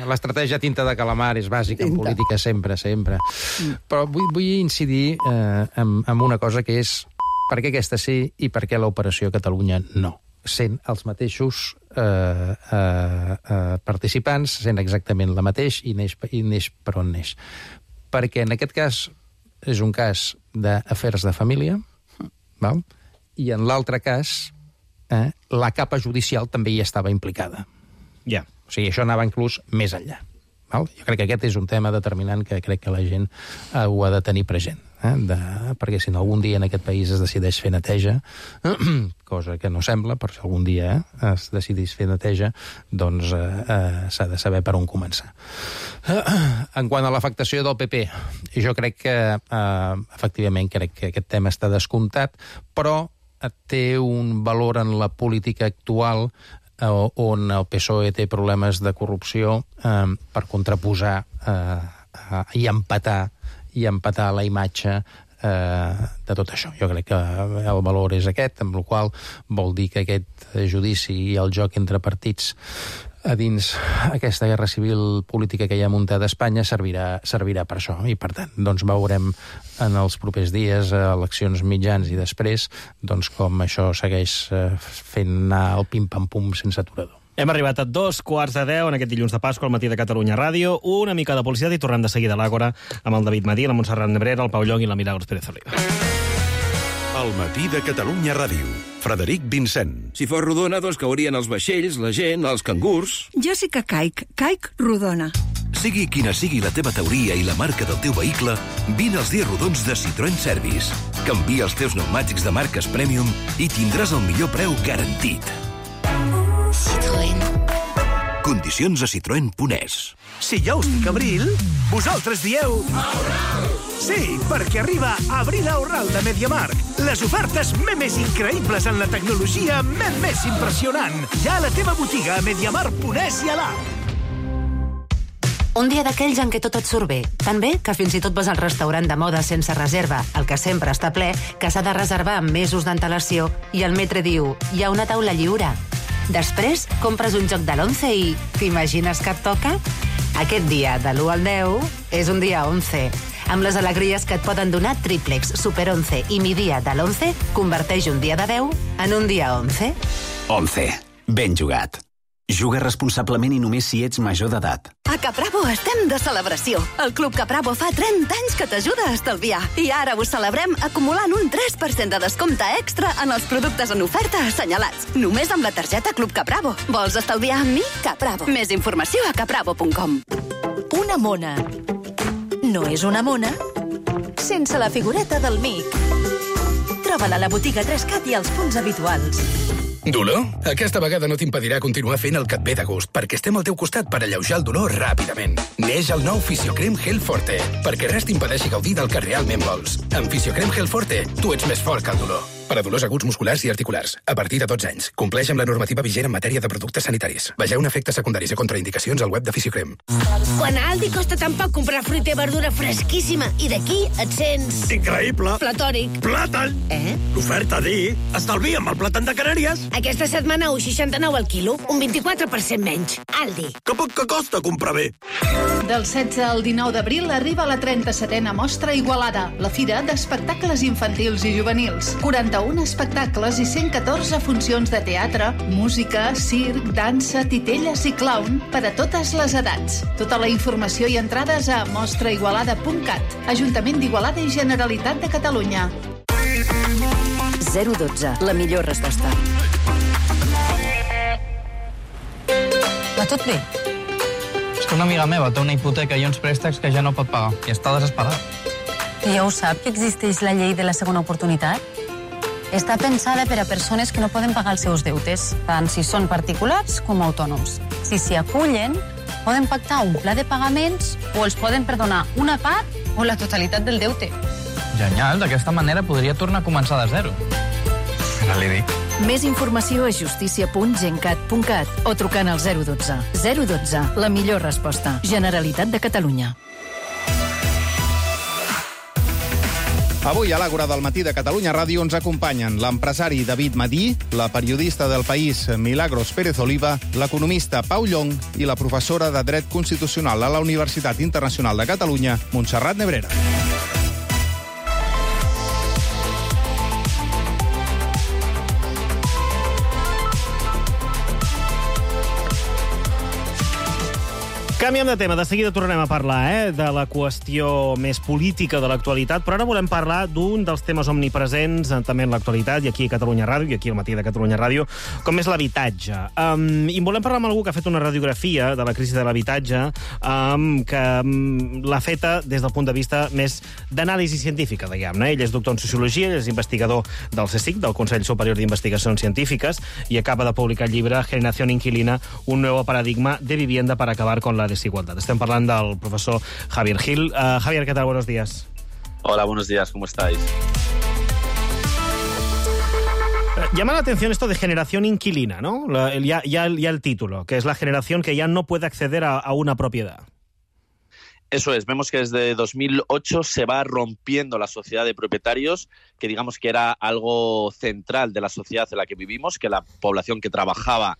L'estratègia tinta de calamar és bàsica en política, sempre, sempre. Mm. Però vull, vull incidir eh, en, en una cosa que és per què aquesta sí i per què l'Operació Catalunya no. Sent els mateixos eh, eh, eh, participants, sent exactament la mateix i neix, i neix per on neix. Perquè en aquest cas és un cas d'afers de família, val? I en l'altre cas eh, la capa judicial també hi estava implicada. Ja. Yeah. O sigui, això anava inclús més enllà. Val? Jo crec que aquest és un tema determinant que crec que la gent eh, ho ha de tenir present. Eh? De, perquè si no algun dia en aquest país es decideix fer neteja, cosa que no sembla, però si algun dia eh, es decideix fer neteja, doncs eh, eh, s'ha de saber per on començar. Eh, en quant a l'afectació del P P, jo crec que eh, efectivament crec que aquest tema està descomptat, però té un valor en la política actual eh, on el P S O E té problemes de corrupció eh, per contraposar eh, eh, i empatar i empatar la imatge eh, de tot això. Jo crec que el valor és aquest, amb la qual vol dir que aquest judici i el joc entre partits a dins aquesta guerra civil política que hi ha muntada a Espanya servirà, servirà per això. I, per tant, doncs veurem en els propers dies, eleccions mitjans i després, doncs com això segueix fent anar el pim-pam-pum sense aturador. Hem arribat a dos quarts de deu en aquest dilluns de Pasqua al matí de Catalunya Ràdio. Una mica de publicitat i tornem de seguida a l'Àgora amb el David Madí, la Montserrat Nebrera, el Pau Llong i la Milagros Pérez Oliva. El matí de Catalunya Ràdio. Frederic Vincent. Si fos rodona, doncs caurien els vaixells, la gent, els cangurs... Jo sí que caic. Caic rodona. Sigui quina sigui la teva teoria i la marca del teu vehicle, vine als dies rodons de Citroën Service. Canvia els teus pneumàtics de marques Premium i tindràs el millor preu garantit. Citroën. Condicions a citroen punt es. Si ja us dic abril, vosaltres dieu... Aurral! Sí, perquè arriba Abril Aurral de MediaMarkt. Les ofertes més increïbles en la tecnologia més impressionant. Ja a la teva botiga a mediamarkt punt es i a l'app. Un dia d'aquells en què tot et surt bé. Tan bé que fins i tot vas al restaurant de moda sense reserva, el que sempre està ple, que s'ha de reservar amb mesos d'antelació, i el metre diu, hi ha una taula lliure. Després, compres un joc de l'once i t'imagines que et toca? Aquest dia, de l'u al deu, és un dia onze. Amb les alegries que et poden donar Triplex, Super onze i Mi Dia de l'onze, converteix un dia de deu en un dia onze. onze. Ben jugat. Juga responsablement i només si ets major d'edat. A Capravo estem de celebració. El Club Capravo fa trenta anys que t'ajuda a estalviar. I ara ho celebrem acumulant un tres per cent de descompte extra en els productes en oferta assenyalats. Només amb la targeta Club Capravo. Vols estalviar amb mi? Capravo. Més informació a capravo punt com. Una mona. No és una mona sense la figureta del mic. Troba-la a la botiga tres cat i als punts habituals. Dolor? Aquesta vegada no t'impedirà continuar fent el que et ve de gust, perquè estem al teu costat per alleujar el dolor ràpidament. Neix el nou Fisiocrem Gel Forte, perquè res t'impedeixi gaudir del que realment vols. Amb Fisiocrem Gel Forte, tu ets més fort que el dolor. Per a dolors aguts musculars i articulars, a partir de dotze anys. Compleix amb la normativa vigent en matèria de productes sanitaris. Vegeu efectes secundaris i contraindicacions al web de Fisiocrem. Quan a Aldi costa tan poc comprar fruita i verdura fresquíssima, i d'aquí et sents... Increïble! Platòric. Plàtan! Eh? L'oferta d'ahir. Estalvia amb el plàtan de Canàries. Aquesta setmana un seixanta-nou al quilo, un vint-i-quatre per cent menys. Aldi. Que poc que costa comprar bé. Del setze al dinou d'abril arriba la trenta-setena Mostra Igualada, la fira d'espectacles infantils i juvenils. quaranta-un espectacles i cent catorze funcions de teatre, música, circ, dansa, titelles i clown per a totes les edats. Tota la informació i entrades a mostra igualada punt cat, Ajuntament d'Igualada i Generalitat de Catalunya. zero dotze, la millor resposta. Va tot bé? que una amiga meva té una hipoteca i uns préstecs que ja no pot pagar i està desesperada. I ja ho sap, que existeix la llei de la segona oportunitat? Està pensada per a persones que no poden pagar els seus deutes, tant si són particulars com autònoms. Si s'hi acullen, poden pactar un pla de pagaments o els poden perdonar una part o la totalitat del deute. Genial, d'aquesta manera podria tornar a començar de zero. No li dic. Més informació a justícia punt gencat punt cat o trucant al zero dotze. zero dotze, la millor resposta. Generalitat de Catalunya. Avui a l'Àgora del matí de Catalunya Ràdio ens acompanyen l'empresari David Madí, la periodista del País Milagros Pérez Oliva, l'economista Pau Llong i la professora de Dret Constitucional a la Universitat Internacional de Catalunya, Montserrat Nebrera. Canviem de tema, de seguida tornarem a parlar eh, de la qüestió més política de l'actualitat, però ara volem parlar d'un dels temes omnipresents també en l'actualitat, i aquí a Catalunya Ràdio, i aquí al matí de Catalunya Ràdio, com és l'habitatge. Um, I volem parlar amb algú que ha fet una radiografia de la crisi de l'habitatge, um, que um, l'ha feta des del punt de vista més d'anàlisi científica, diguem-ne. Ell és doctor en Sociologia, ell és investigador del CSIC, del Consell Superior d'Investigacions Científiques, i acaba de publicar el llibre Generación Inquilina, un nuevo paradigma de vivienda para acabar con la desigualdad. Estem parlant del profesor Javier Gil. Uh, Javier, ¿qué tal? Buenos días. Hola, buenos días. ¿Cómo estáis? Uh, llama la atención esto de generación inquilina, ¿no? La, el, ya, ya, ya el título, que es la generación que ya no puede acceder a, a una propiedad. Eso es, vemos que desde dos mil ocho se va rompiendo la sociedad de propietarios, que digamos que era algo central de la sociedad en la que vivimos, que la población que trabajaba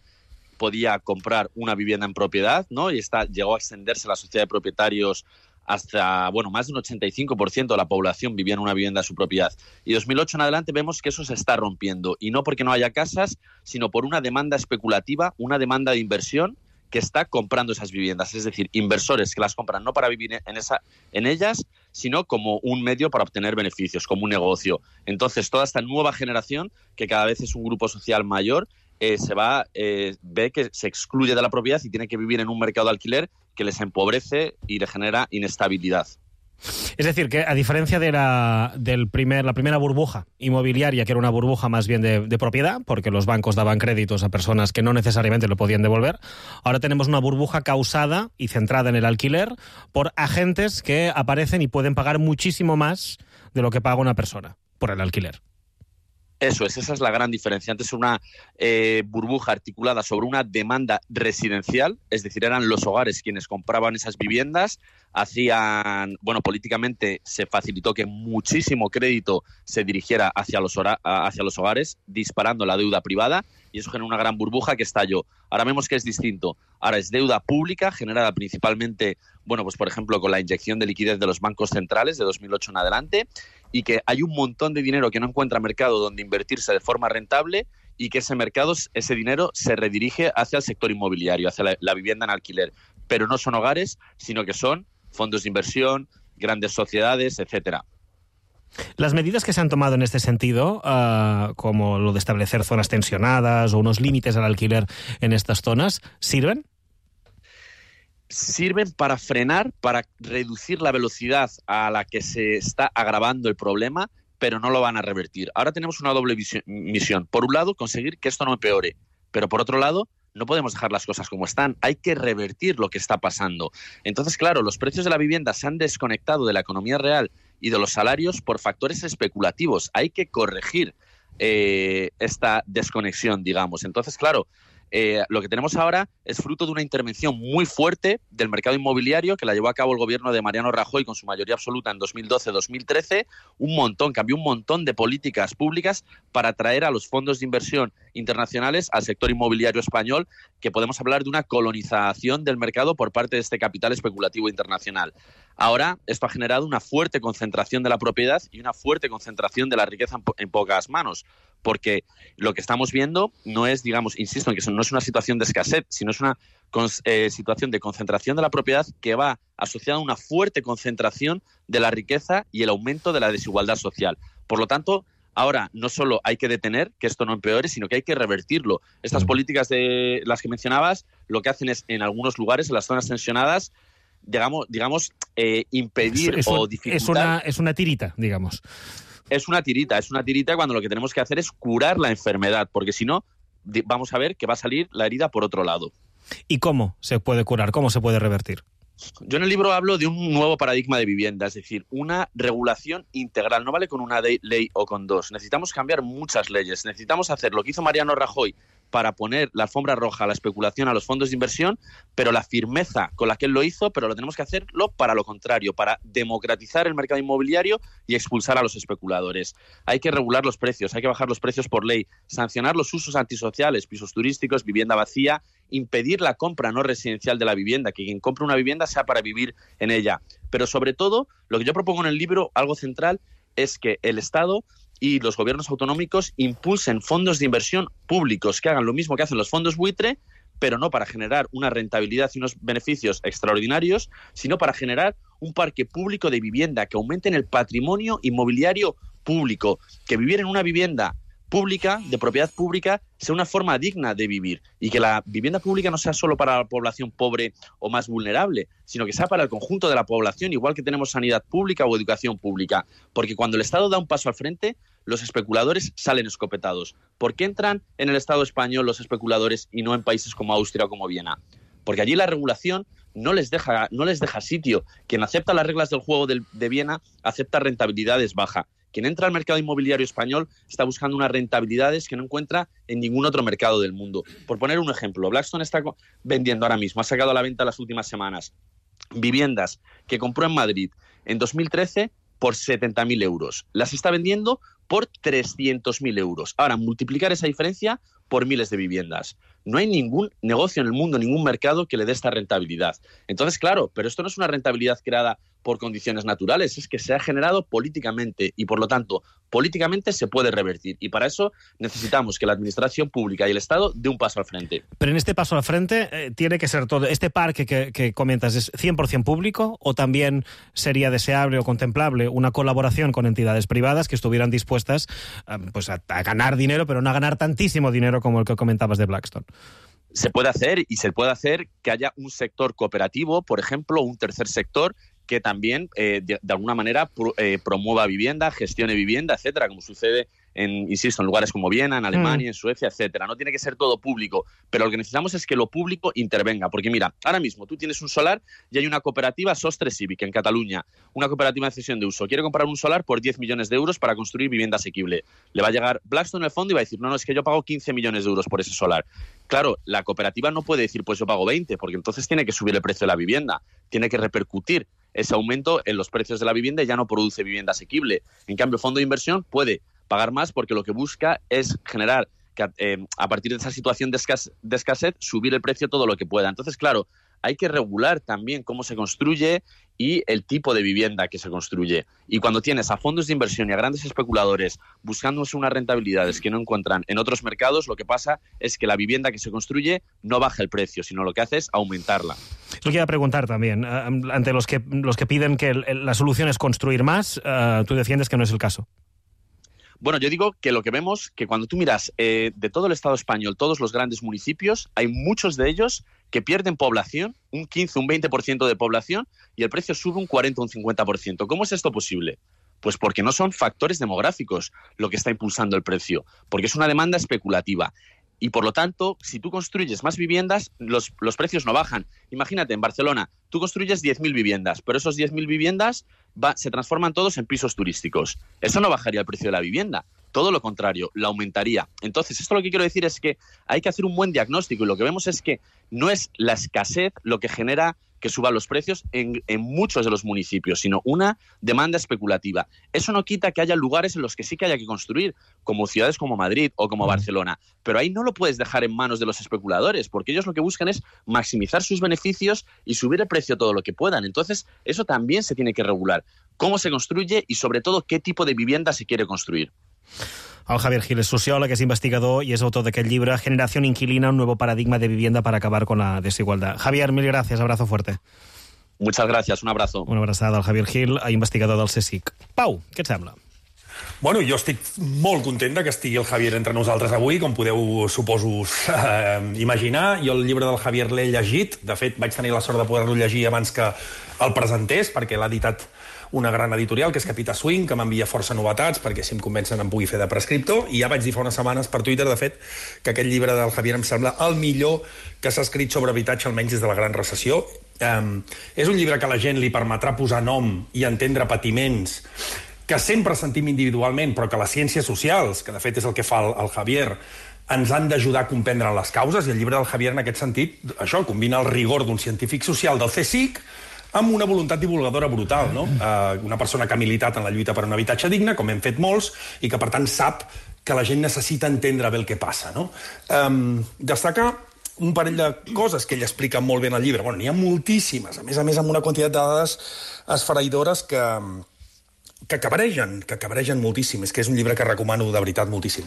podía comprar una vivienda en propiedad, ¿no? Y esta llegó a extenderse la sociedad de propietarios hasta, bueno, más de un ochenta y cinco por ciento de la población vivía en una vivienda de su propiedad. Y dos mil ocho en adelante vemos que eso se está rompiendo, y no porque no haya casas, sino por una demanda especulativa, una demanda de inversión que está comprando esas viviendas, es decir, inversores que las compran no para vivir en, esa, en ellas, sino como un medio para obtener beneficios, como un negocio. Entonces, toda esta nueva generación, que cada vez es un grupo social mayor, Eh, se va, eh, ve que se excluye de la propiedad y tiene que vivir en un mercado de alquiler que les empobrece y le genera inestabilidad. Es decir, que a diferencia de la, del primer, la primera burbuja inmobiliaria, que era una burbuja más bien de, de propiedad, porque los bancos daban créditos a personas que no necesariamente lo podían devolver, ahora tenemos una burbuja causada y centrada en el alquiler por agentes que aparecen y pueden pagar muchísimo más de lo que paga una persona por el alquiler. Eso es, esa es la gran diferencia. Antes era una eh, burbuja articulada sobre una demanda residencial, es decir, eran los hogares quienes compraban esas viviendas, hacían, bueno, políticamente se facilitó que muchísimo crédito se dirigiera hacia los, hora, hacia los hogares, disparando la deuda privada, y eso generó una gran burbuja que estalló. Ahora vemos que es distinto. Ahora es deuda pública, generada principalmente, bueno, pues por ejemplo, con la inyección de liquidez de los bancos centrales de dos mil ocho en adelante, y que hay un montón de dinero que no encuentra mercado donde invertirse de forma rentable, y que ese mercado, ese dinero se redirige hacia el sector inmobiliario, hacia la, la vivienda en alquiler. Pero no son hogares, sino que son fondos de inversión, grandes sociedades, etcétera. Las medidas que se han tomado en este sentido, uh, como lo de establecer zonas tensionadas o unos límites al alquiler en estas zonas, ¿sirven? Sirven para frenar, para reducir la velocidad a la que se está agravando el problema, pero no lo van a revertir. Ahora tenemos una doble misión. Por un lado, conseguir que esto no empeore, pero por otro lado, no podemos dejar las cosas como están. Hay que revertir lo que está pasando. Entonces, claro, los precios de la vivienda se han desconectado de la economía real y de los salarios por factores especulativos. Hay que corregir eh, esta desconexión, digamos. Entonces, claro, Eh, lo que tenemos ahora es fruto de una intervención muy fuerte del mercado inmobiliario que la llevó a cabo el gobierno de Mariano Rajoy con su mayoría absoluta en dos mil doce dos mil trece, un montón, cambió un montón de políticas públicas para atraer a los fondos de inversión internacionales al sector inmobiliario español, que podemos hablar de una colonización del mercado por parte de este capital especulativo internacional. Ahora, esto ha generado una fuerte concentración de la propiedad y una fuerte concentración de la riqueza en, po- en pocas manos, porque lo que estamos viendo no es, digamos, insisto en que no es una situación de escasez, sino es una eh, situación de concentración de la propiedad que va asociada a una fuerte concentración de la riqueza y el aumento de la desigualdad social. Por lo tanto, Ahora, no solo hay que detener que esto no empeore, sino que hay que revertirlo. Estas mm. políticas de las que mencionabas, lo que hacen es, en algunos lugares, en las zonas tensionadas, digamos, digamos eh, impedir es, es o un, dificultar... Es una, es una tirita, digamos. Es una tirita, es una tirita cuando lo que tenemos que hacer es curar la enfermedad, porque si no, vamos a ver que va a salir la herida por otro lado. ¿Y cómo se puede curar? ¿Cómo se puede revertir? Yo en el libro hablo de un nuevo paradigma de vivienda, es decir, una regulación integral. No vale con una ley o con dos. Necesitamos cambiar muchas leyes. Necesitamos hacer lo que hizo Mariano Rajoy para poner la alfombra roja a la especulación, a los fondos de inversión, pero la firmeza con la que él lo hizo, pero lo tenemos que hacerlo para lo contrario, para democratizar el mercado inmobiliario y expulsar a los especuladores. Hay que regular los precios, hay que bajar los precios por ley, sancionar los usos antisociales, pisos turísticos, vivienda vacía, impedir la compra no residencial de la vivienda, que quien compre una vivienda sea para vivir en ella. Pero sobre todo, lo que yo propongo en el libro, algo central, es que el Estado y los gobiernos autonómicos impulsen fondos de inversión públicos que hagan lo mismo que hacen los fondos buitre, pero no para generar una rentabilidad y unos beneficios extraordinarios, sino para generar un parque público de vivienda que aumenten el patrimonio inmobiliario público, que vivir en una vivienda pública, de propiedad pública, sea una forma digna de vivir y que la vivienda pública no sea solo para la población pobre o más vulnerable, sino que sea para el conjunto de la población, igual que tenemos sanidad pública o educación pública. Porque cuando el Estado da un paso al frente, los especuladores salen escopetados. ¿Por qué entran en el Estado español los especuladores y no en países como Austria o como Viena? Porque allí la regulación no les deja, no les deja sitio. Quien acepta las reglas del juego de, de Viena acepta rentabilidades bajas. Quien entra al mercado inmobiliario español está buscando unas rentabilidades que no encuentra en ningún otro mercado del mundo. Por poner un ejemplo, Blackstone está vendiendo ahora mismo, ha sacado a la venta las últimas semanas, viviendas que compró en Madrid en dos mil trece por setenta mil euros. Las está vendiendo por trescientos mil euros. Ahora, multiplicar esa diferencia por miles de viviendas. No hay ningún negocio en el mundo, ningún mercado que le dé esta rentabilidad. Entonces, claro, pero esto no es una rentabilidad creada por condiciones naturales, es que se ha generado políticamente y, por lo tanto, políticamente se puede revertir. Y para eso necesitamos que la administración pública y el Estado dé un paso al frente. Pero en este paso al frente eh, tiene que ser todo. ¿Este parque que, que comentas es cien por ciento público o también sería deseable o contemplable una colaboración con entidades privadas que estuvieran dispuestas eh, pues a, a ganar dinero, pero no a ganar tantísimo dinero como el que comentabas de Blackstone? Se puede hacer y se puede hacer que haya un sector cooperativo, por ejemplo, un tercer sector que también, eh, de, de alguna manera, pro, eh, promueva vivienda, gestione vivienda, etcétera, como sucede, en, insisto, en lugares como Viena, en Alemania, mm. en Suecia, etcétera. No tiene que ser todo público, pero lo que necesitamos es que lo público intervenga. Porque mira, ahora mismo tú tienes un solar y hay una cooperativa, Sostre Civic, en Cataluña, una cooperativa de cesión de uso. Quiere comprar un solar por diez millones de euros para construir vivienda asequible. Le va a llegar Blackstone en el fondo y va a decir, no, no, es que yo pago quince millones de euros por ese solar. Claro, la cooperativa no puede decir, pues yo pago veinte, porque entonces tiene que subir el precio de la vivienda, tiene que repercutir ese aumento en los precios de la vivienda y ya no produce vivienda asequible. En cambio, el fondo de inversión puede pagar más porque lo que busca es generar, que, eh, a partir de esa situación de, escasez, de escasez, subir el precio todo lo que pueda. Entonces, claro, hay que regular también cómo se construye y el tipo de vivienda que se construye. Y cuando tienes a fondos de inversión y a grandes especuladores buscándose unas rentabilidades que no encuentran en otros mercados, lo que pasa es que la vivienda que se construye no baja el precio, sino lo que hace es aumentarla. Lo quiero preguntar también, uh, ante los que, los que piden que el, el, la solución es construir más, uh, tú defiendes que no es el caso. Bueno, yo digo que lo que vemos, que cuando tú miras eh, de todo el Estado español, todos los grandes municipios, hay muchos de ellos que pierden población, un quince, un veinte por ciento de población, y el precio sube un cuarenta, un cincuenta por ciento. ¿Cómo es esto posible? Pues porque no son factores demográficos lo que está impulsando el precio, porque es una demanda especulativa. Y por lo tanto, si tú construyes más viviendas, los, los precios no bajan. Imagínate, en Barcelona, tú construyes diez mil viviendas, pero esos diez mil viviendas va, se transforman todos en pisos turísticos. Eso no bajaría el precio de la vivienda. Todo lo contrario, la aumentaría. Entonces, esto lo que quiero decir es que hay que hacer un buen diagnóstico y lo que vemos es que no es la escasez lo que genera que suban los precios en, en muchos de los municipios, sino una demanda especulativa. Eso no quita que haya lugares en los que sí que haya que construir, como ciudades como Madrid o como Barcelona, pero ahí no lo puedes dejar en manos de los especuladores, porque ellos lo que buscan es maximizar sus beneficios y subir el precio todo lo que puedan. Entonces, eso también se tiene que regular. Cómo se construye y, sobre todo, qué tipo de vivienda se quiere construir. El Javier Gil és sociòleg, és investigador i és autor d'aquest llibre Generación Inquilina, un nuevo paradigma de vivienda para acabar con la desigualdad. Javier, mil gracias, abrazo fuerte. Muchas gracias, un abrazo. Una abraçada al Javier Gil, investigador del CSIC. Pau, què et sembla? Bueno, jo estic molt content que estigui el Javier entre nosaltres avui, com podeu, suposo, eh, imaginar. Jo el llibre del Javier l'he llegit. De fet, vaig tenir la sort de poder-lo llegir abans que el presentés, perquè l'ha editat una gran editorial, que és Capita Swing, que m'envia força novetats, perquè si em convencen em pugui fer de prescriptor. I ja vaig dir fa unes setmanes per Twitter, de fet, que aquest llibre del Javier em sembla el millor que s'ha escrit sobre habitatge, almenys des de la gran recessió. Um, és un llibre que a la gent li permetrà posar nom i entendre patiments que sempre sentim individualment, però que les ciències socials, que de fet és el que fa el, el Javier, ens han d'ajudar a comprendre les causes, i el llibre del Javier, en aquest sentit, això, combina el rigor d'un científic social del C S I C amb una voluntat divulgadora brutal, no? Uh, una persona que ha militat en la lluita per un habitatge digne, com hem fet molts, i que, per tant, sap que la gent necessita entendre bé el que passa, no? Um, destacar un parell de coses que ell explica molt bé en el llibre. Bueno, n'hi ha moltíssimes, a més a més amb una quantitat de dades esfereïdores que... que cabregen, que cabregen moltíssim. És que és un llibre que recomano de veritat moltíssim.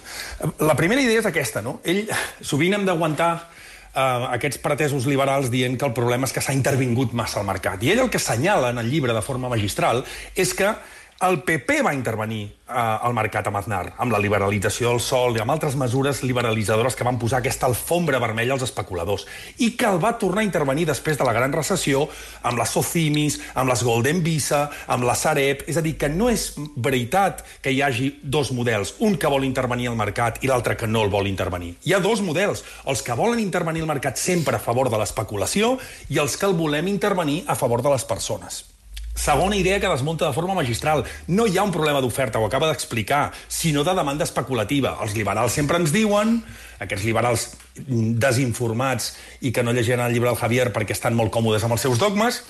La primera idea és aquesta, no? Ell, sovint hem d'aguantar uh, aquests pretesos liberals dient que el problema és que s'ha intervingut massa al mercat. I ell el que assenyala en el llibre de forma magistral és que el P P va intervenir uh, al mercat amb Aznar, amb la liberalització del sòl i amb altres mesures liberalitzadores que van posar aquesta alfombra vermella als especuladors, i que el va tornar a intervenir després de la gran recessió amb les Socimis, amb les Golden Visa, amb la Sareb. És a dir, que no és veritat que hi hagi dos models, un que vol intervenir al mercat i l'altre que no el vol intervenir. Hi ha dos models, els que volen intervenir al mercat sempre a favor de l'especulació i els que el volem intervenir a favor de les persones. Segona idea que desmunta de forma magistral. No hi ha un problema d'oferta, ho acaba d'explicar, sinó de demanda especulativa. Els liberals sempre ens diuen, aquests liberals desinformats i que no llegiran el llibre del Javier perquè estan molt còmodes amb els seus dogmes,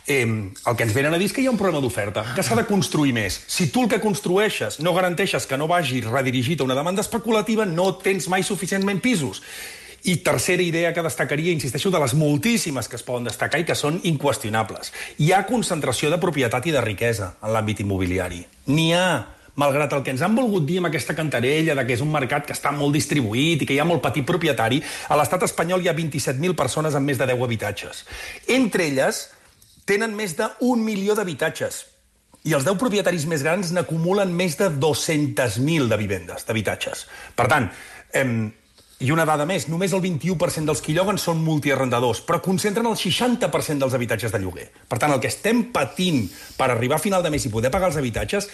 eh, el que ens venen a dir és que hi ha un problema d'oferta, que s'ha de construir més. Si tu el que construeixes no garanteixes que no vagi redirigit a una demanda especulativa, no tens mai suficientment pisos. I tercera idea que destacaria, insisteixo, de les moltíssimes que es poden destacar i que són inqüestionables. Hi ha concentració de propietat i de riquesa en l'àmbit immobiliari. N'hi ha, malgrat el que ens han volgut dir amb aquesta cantarella de que és un mercat que està molt distribuït i que hi ha molt petit propietari, a l'estat espanyol hi ha vint-i-set mil persones amb més de deu habitatges. Entre elles, tenen més d'un milió d'habitatges. I els deu propietaris més grans n'acumulen més de dos-centes mil de vivendes, d'habitatges. Per tant, eh, i una dada més, només el vint-i-u per cent dels qui lloguen són multiarrendadors, però concentren el seixanta per cent dels habitatges de lloguer. Per tant, el que estem patint per arribar a final de mes i poder pagar els habitatges,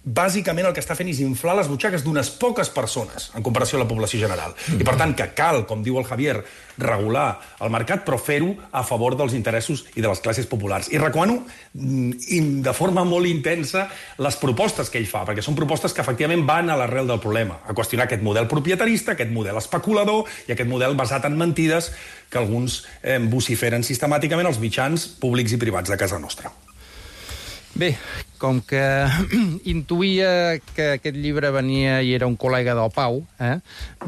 bàsicament el que està fent és inflar les butxaques d'unes poques persones en comparació a la població general. I per tant que cal, com diu el Javier, regular el mercat, però fer-ho a favor dels interessos i de les classes populars. I recomano de forma molt intensa les propostes que ell fa, perquè són propostes que efectivament van a l'arrel del problema, a qüestionar aquest model propietarista, aquest model especulador i aquest model basat en mentides que alguns eh, vociferen sistemàticament als mitjans públics i privats de casa nostra. Bé, com que intuïa que aquest llibre venia i era un col·lega del Pau, eh,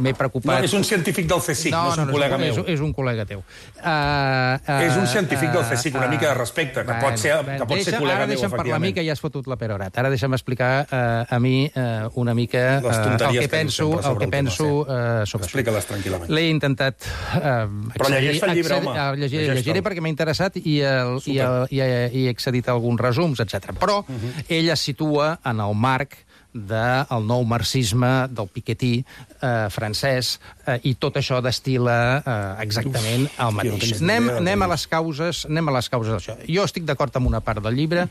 m'he preocupat... No, és un científic del C S I C, no, no és un no, col·lega és un, meu. És, és un col·lega teu. Uh, uh, és un científic del C S I C, una mica de respecte, que pot ser, que pot ser col·lega meu, efectivament. Ara deixa'm parlar a mi, que ja has fotut la perorat. Ara deixa'm explicar uh, a mi uh, una mica uh, el que penso, el que penso uh, sobre això. Explica-les tranquil·lament. L'he intentat... Uh, Però llegeix el llibre, home. Llegiré, llegiré perquè m'ha interessat i, el, i, el, i, i he accedit a alguns resums, etcètera. Però uh-huh. ell es situa en el marc del nou marxisme, del Piketty eh, francès, eh, i tot això destila eh, exactament Uf, el mateix. No anem, anem, a les causes, anem a les causes d'això. Jo estic d'acord amb una part del llibre,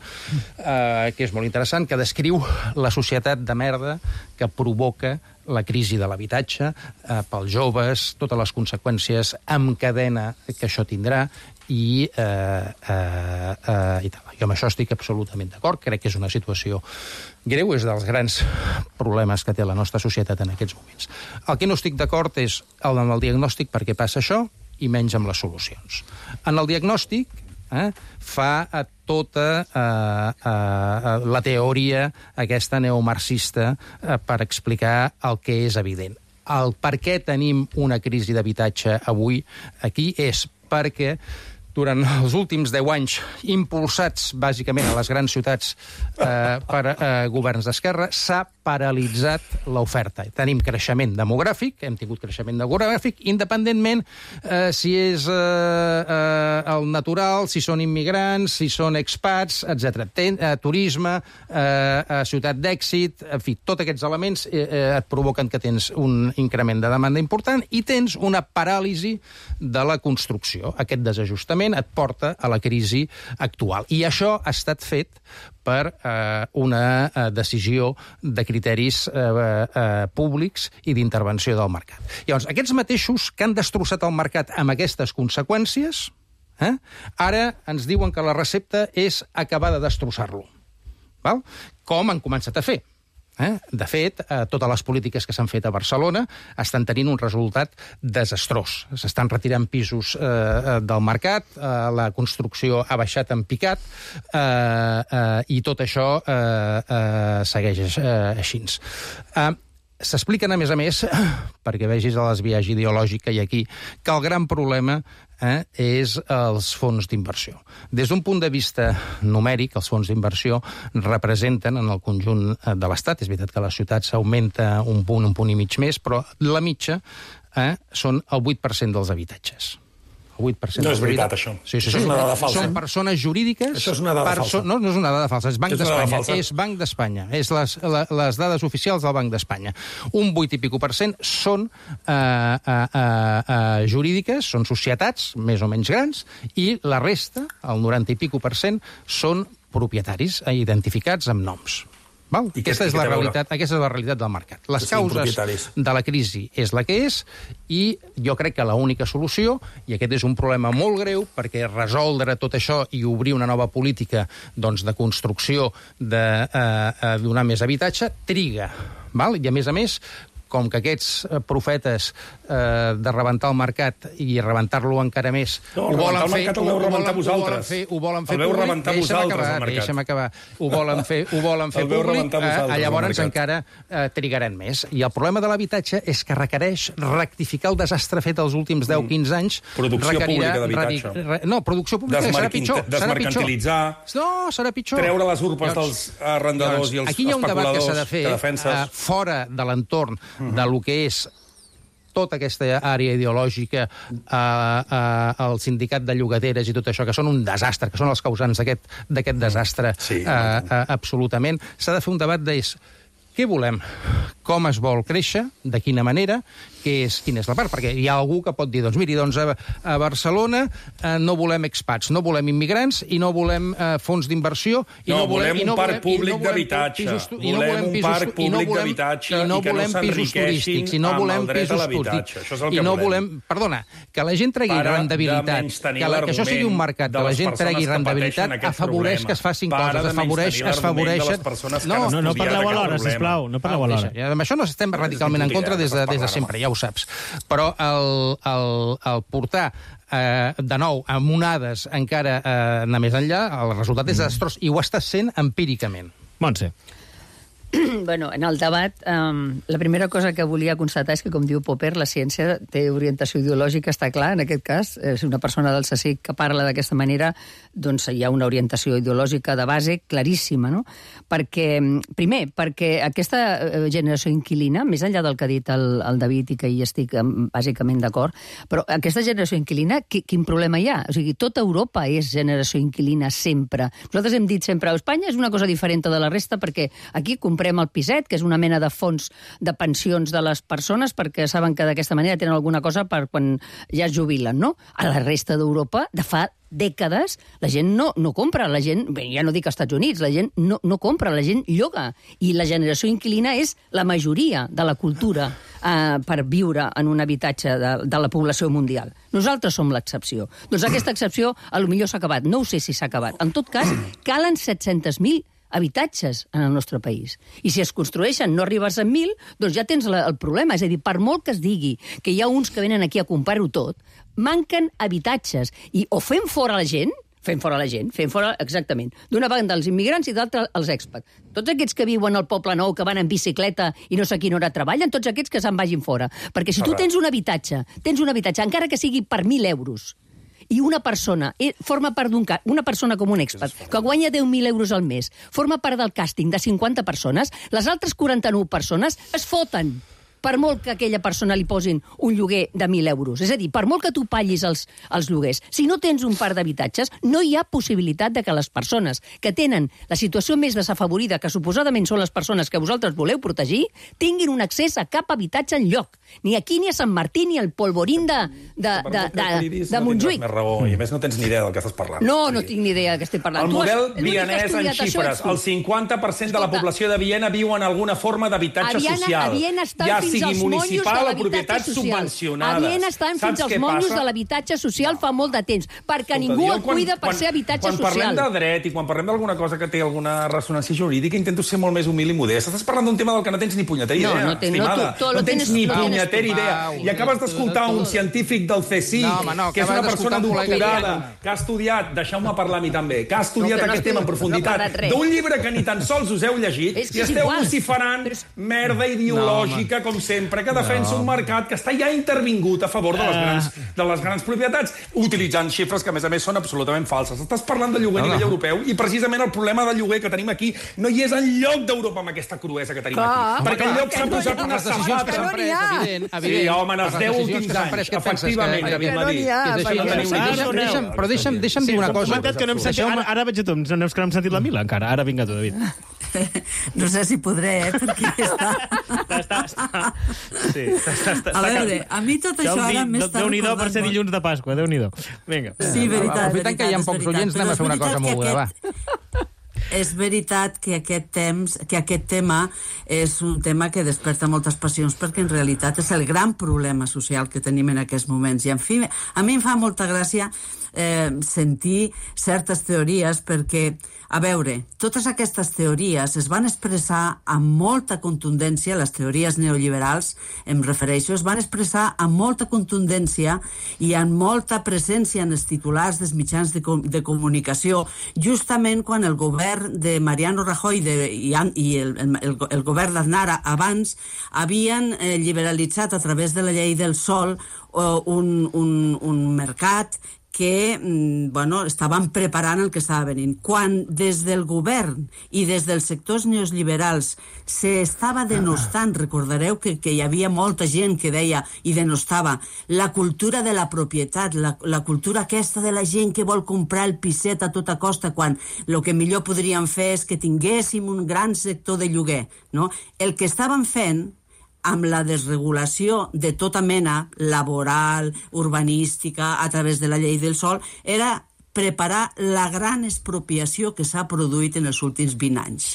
eh, que és molt interessant, que descriu la societat de merda que provoca la crisi de l'habitatge eh, pels joves, totes les conseqüències en cadena que això tindrà, i, eh, eh, eh, i tal. Jo amb això estic absolutament d'acord, crec que és una situació greu, és dels grans problemes que té la nostra societat en aquests moments. El que no estic d'acord és el, en el diagnòstic per què passa això i menys amb les solucions. En el diagnòstic eh, fa a tota eh, eh, la teoria aquesta neomarxista eh, per explicar el que és evident. El per què tenim una crisi d'habitatge avui aquí és perquè durant els últims deu anys, impulsats bàsicament a les grans ciutats eh, per eh, governs d'esquerra, s'ha paralitzat l'oferta. Tenim creixement demogràfic, hem tingut creixement demogràfic, independentment eh, si és eh, eh, el natural, si són immigrants, si són expats, etcètera. Ten, eh, turisme, eh, eh, ciutat d'èxit, en fi, tots aquests elements eh, eh, et provoquen que tens un increment de demanda important i tens una paràlisi de la construcció. Aquest desajustament et porta a la crisi actual. I això ha estat fet per eh, una eh, decisió de criteris eh, eh, públics i d'intervenció del mercat. Llavors, aquests mateixos que han destrossat el mercat amb aquestes conseqüències, eh, ara ens diuen que la recepta és acabar de destrossar-lo. Val? Com han començat a fer? Eh? De fet, eh, totes les polítiques que s'han fet a Barcelona estan tenint un resultat desastrós. S'estan retirant pisos eh, del mercat, eh, la construcció ha baixat en picat eh, eh, i tot això eh, eh, segueix eh, així. Eh, S'expliquen, a més a més, perquè vegis el desviatge ideològic que hi ha aquí, que el gran problema eh, és els fons d'inversió. Des d'un punt de vista numèric, els fons d'inversió representen en el conjunt de l'Estat, és veritat que a les ciutats s'augmenta un punt, un punt i mig més, però la mitja eh, són el vuit per cent dels habitatges. vuit per cent no és veritat, això. Sí, sí, això sí. és una dada falsa. Són persones jurídiques... Això és una dada perso... falsa. No, no és una dada falsa, és Banc és d'Espanya. És Banc d'Espanya. És les, la, les dades oficials del Banc d'Espanya. Un vuit i pico per cent són eh, eh, eh, jurídiques, són societats més o menys grans, i la resta, el noranta i pico per cent, són propietaris eh, identificats amb noms. Val? I aquesta, és la realitat, aquesta és la realitat del mercat. Les causes de la crisi és la que és i jo crec que l'única solució, i aquest és un problema molt greu, perquè resoldre tot això i obrir una nova política doncs, de construcció, de eh, donar més habitatge, triga. Val? I a més a més, com que aquests profetes eh, de rebentar el mercat i rebentar-lo encara més... No, ho volen fer... Ho veu rebentar vosaltres. Ho volen fer el veu rebentar vosaltres, el mercat. Deixa'm acabar. Ho volen fer, ho volen fer públic, eh, llavors encara eh, trigaran més. I el problema de l'habitatge és que requereix rectificar el desastre fet els últims deu a quinze anys. Producció pública d'habitatge. Re, no, producció pública serà pitjor. Desmercantilitzar. No, serà pitjor. Treure les urpes dels arrendadors i els especuladors aquí hi ha un debat que s'ha de fer eh, fora de l'entorn de lo que és tota aquesta àrea ideològica, eh, eh, el sindicat de llogateres i tot això, que són un desastre, que són els causants d'aquest desastre sí, eh, eh, absolutament. S'ha de fer un debat de què volem, com es vol créixer, de quina manera, què és, quina és la part, perquè hi ha algú que pot dir, doncs miri, doncs a, a Barcelona eh, no volem expats, no volem immigrants i no volem eh, fons d'inversió i no, no volem, volem un parc públic d'habitatge. Volem un parc públic d'habitatge i que no s'enriqueixin amb el dret a l'habitatge. Això és el que no volem. volem. Perdona, que la gent tregui rendibilitat, que, la, que això sigui un mercat, que la gent tregui rendibilitat, afavoreix que es facin coses, afavoreix que es favoreixen... No, no, no parleu alhora, sisplau, no parleu alhora. Amb això no estem radicalment en contra des de, des de sempre, ja ho saps. Però el, el, el portar eh, de nou amb onades encara eh, anar més enllà, el resultat és desastrós, i ho està sent empíricament. Montse. Bueno, en el debat, um, la primera cosa que volia constatar és que, com diu Popper, la ciència té orientació ideològica, està clar, en aquest cas. Si una persona del C S I C que parla d'aquesta manera, doncs hi ha una orientació ideològica de base claríssima, no? Perquè, primer, perquè aquesta generació inquilina, més enllà del que ha dit el, el David i que hi estic bàsicament d'acord, però aquesta generació inquilina, qui, quin problema hi ha? O sigui, tota Europa és generació inquilina sempre. Nosaltres hem dit sempre, Espanya és una cosa diferent de la resta perquè aquí comprem el piset, que és una mena de fons de pensions de les persones perquè saben que d'aquesta manera tenen alguna cosa per quan ja es jubilen, no? A la resta d'Europa, de fa dècades, la gent no, no compra, la gent, bé, ja no dic als Estats Units, la gent no, no compra, la gent lloga, i la generació inquilina és la majoria de la cultura eh, per viure en un habitatge de, de la població mundial. Nosaltres som l'excepció. Doncs aquesta excepció a lo millor s'ha acabat, no ho sé si s'ha acabat. En tot cas, calen set-cents mil habitatges en el nostre país. I si es construeixen, no arribes a mil, doncs ja tens la, el problema. És a dir, per molt que es digui que hi ha uns que venen aquí a comprar-ho tot, manquen habitatges. I o fem fora la gent, fem fora la gent, fem fora, exactament, d'una banda els immigrants i d'altra els expats. Tots aquests que viuen al Poble Nou, que van en bicicleta i no sé a quina hora treballen, tots aquests que se'n vagin fora. Perquè si tu tens un habitatge, tens un habitatge, encara que sigui per mil euros, i una persona eh, forma part d'un ca- una persona com un expat, que guanya deu mil euros al mes, forma part del càsting de cinquanta persones, les altres quaranta-nou persones es foten per molt que a aquella persona li posin un lloguer de mil euros. És a dir, per molt que tu paguis els, els lloguers, si no tens un parc d'habitatges, no hi ha possibilitat de que les persones que tenen la situació més desafavorida, que suposadament són les persones que vosaltres voleu protegir, tinguin un accés a cap habitatge enlloc. Ni aquí, ni a Sant Martí, ni al polvorín de, de, de, de, de Montjuïc. Més raó, i a més no tens ni idea del que estàs parlant. No, no tinc ni idea del que estic parlant. El model vienès en xifres. El cinquanta per cent de la població de Viena viu en alguna forma d'habitatge social. A Viena estan ja fins als monjos de l'habitatge social. A Viena estan fins als monjos de l'habitatge social fa molt de temps, perquè Escolta, ningú el quan, cuida per quan, ser habitatge quan social. Quan parlem de dret i quan parlem d'alguna cosa que té alguna ressonància jurídica, intento ser molt més humil i modest. Estàs parlant d'un tema del que no tens ni punyetera idea, no, no ten, estimada. No, tu, tu, no tens tienes, ni no punyetera idea. I acabes d'escoltar un científic del C S I C, no, no, que és una persona doctorada, que ha estudiat, deixeu-me parlar a mi també, que ha estudiat no, aquest no tema en profunditat, no d'un llibre que ni tan sols us heu llegit, i esteu vociferant merda ideològica, com sempre, que defensa un mercat que està ja intervingut a favor de les grans, de les grans propietats, utilitzant xifres que, a més a més, són absolutament falses. Estàs parlant de lloguer a nivell europeu i, precisament, el problema del lloguer que tenim aquí no hi és enlloc d'Europa amb aquesta cruesa que tenim aquí. Perquè enlloc s'ha posat una sabata. Sí, home, en els deu últims anys, efectivament, David Madí. Però deixa'm dir una cosa. Ara veig a tu, no és que no hem sentit la Mila encara. Ara vinga tu, David. No sé si podré, eh, perquè està... està, està. Sí, està, està, està. A veure, a mi tot això ara m'està recordant... Déu-n'hi-do per ser dilluns de Pasqua, Déu-n'hi-do. Vinga. Sí, veritat, Aprofitant que hi ha pocs oients, anem a fer una cosa moguda, va. És veritat que aquest temps, que aquest tema és un tema que desperta moltes passions, perquè en realitat és el gran problema social que tenim en aquests moments. I, en fi, a mi em fa molta gràcia eh, sentir certes teories, perquè, a veure, totes aquestes teories es van expressar amb molta contundència, les teories neoliberals, em refereixo, es van expressar amb molta contundència i amb molta presència en els titulars dels mitjans de, com de comunicació, justament quan el govern de Mariano Rajoy de, i, i el, el, el govern d'Aznar abans havien eh, liberalitzat a través de la llei del sòl eh, un, un, un mercat que bueno, estaven preparant el que estava venint. Quan des del govern i des dels sectors neoliberals s'estava denostant, recordareu que, que hi havia molta gent que deia i denostava la cultura de la propietat, la, la cultura aquesta de la gent que vol comprar el piset a tota costa, quan el que millor podríem fer és que tinguéssim un gran sector de lloguer. No? El que estaven fent amb la desregulació de tota mena, laboral, urbanística, a través de la llei del sòl, era preparar la gran expropiació que s'ha produït en els últims vint anys.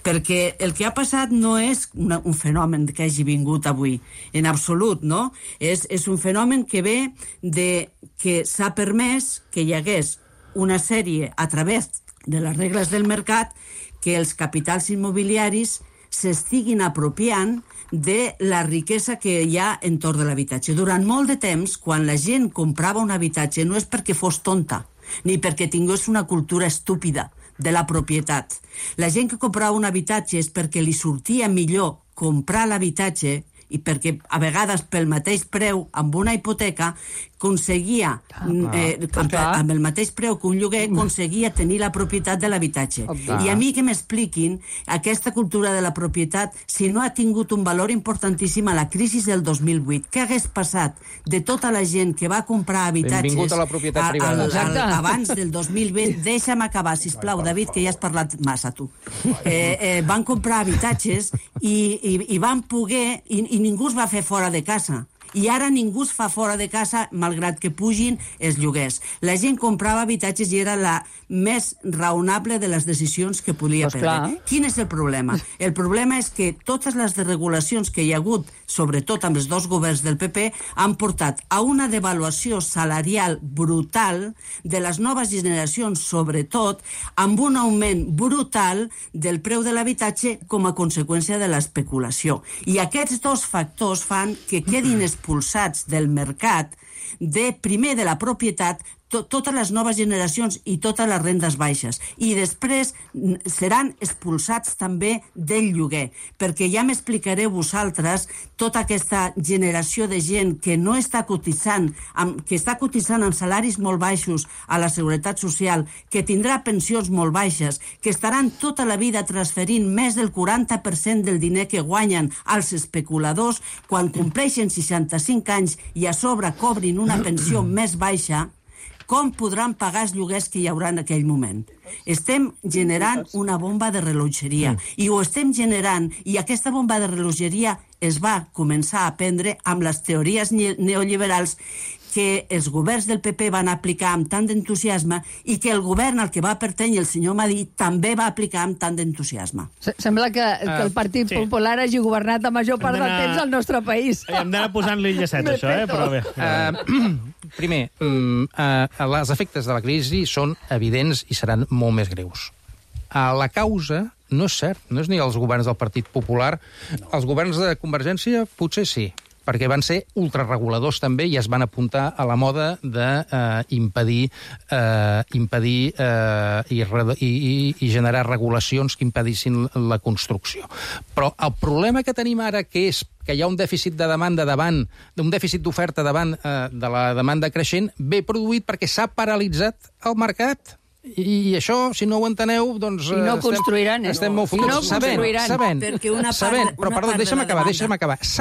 Perquè el que ha passat no és una, un fenomen que hagi vingut avui, en absolut, no? És, és un fenomen que ve de que s'ha permès que hi hagués una sèrie, a través de les regles del mercat, que els capitals immobiliaris s'estiguin apropiant de la riquesa que hi ha entorn de l'habitatge. Durant molt de temps, quan la gent comprava un habitatge, no és perquè fos tonta, ni perquè tingués una cultura estúpida de la propietat. La gent que comprava un habitatge és perquè li sortia millor comprar l'habitatge i perquè a vegades pel mateix preu amb una hipoteca aconseguia, eh, amb, amb el mateix preu que un lloguer, aconseguia tenir la propietat de l'habitatge. I a mi que m'expliquin aquesta cultura de la propietat, si no ha tingut un valor importantíssim a la crisi del dos mil vuit. Què hagués passat de tota la gent que va comprar habitatges Benvingut a la propietat privada. Al, al, abans del dos mil vint? Deixa'm acabar, sisplau, David, que ja has parlat massa, tu. Eh, eh, van comprar habitatges i, i, i van poder... I, i ningú es va fer fora de casa. I ara ningú es fa fora de casa, malgrat que pugin els lloguers. La gent comprava habitatges i era la més raonable de les decisions que podia pues prendre. clar. Quin és el problema? El problema és que totes les desregulacions que hi ha hagut, sobretot amb els dos governs del P P, han portat a una devaluació salarial brutal de les noves generacions, sobretot, amb un augment brutal del preu de l'habitatge com a conseqüència de l'especulació. I aquests dos factors fan que quedin expulsats del mercat, de primer de la propietat, to, totes les noves generacions i totes les rendes baixes. I després seran expulsats també del lloguer, perquè ja m'explicareu vosaltres tota aquesta generació de gent que no està cotitzant, amb, que està cotitzant amb salaris molt baixos a la Seguretat Social, que tindrà pensions molt baixes, que estaran tota la vida transferint més del quaranta per cent del diner que guanyen als especuladors quan compleixen seixanta-cinc anys i a sobre cobrin una pensió més baixa, com podran pagar els lloguers que hi haurà en aquell moment? Estem generant una bomba de rellotgeria i ho estem generant, i aquesta bomba de rellotgeria es va començar a prendre amb les teories neoliberals que els governs del P P van aplicar amb tant d'entusiasme i que el govern al que va pertany el senyor Madí també va aplicar amb tant d'entusiasme. Sembla que, uh, que el Partit sí. Popular hagi governat la major part del temps al nostre país. Hem d'anar posant-li llacet, això, eh? Però bé. Uh, primer, um, uh, els efectes de la crisi són evidents i seran molt més greus. Uh, la causa no és cert, no és ni els governs del Partit Popular. No. Els governs de Convergència potser sí, perquè van ser ultrareguladors també i es van apuntar a la moda d'impedir eh, eh, impedir eh, i, i, i generar regulacions que impedissin la construcció. Però el problema que tenim ara, que és que hi ha un dèficit de demanda davant, un dèficit d'oferta davant eh, de la demanda creixent, ve produït perquè s'ha paralitzat el mercat. I això, si no ho enteneu, doncs... I no construiran, eh? Estem molt fotuts. No sabent, construiran. Sabent, Perquè una part, sabent, però, una perdó, part deixa'm de la acabar, demanda... deixa'm acabar. Sabent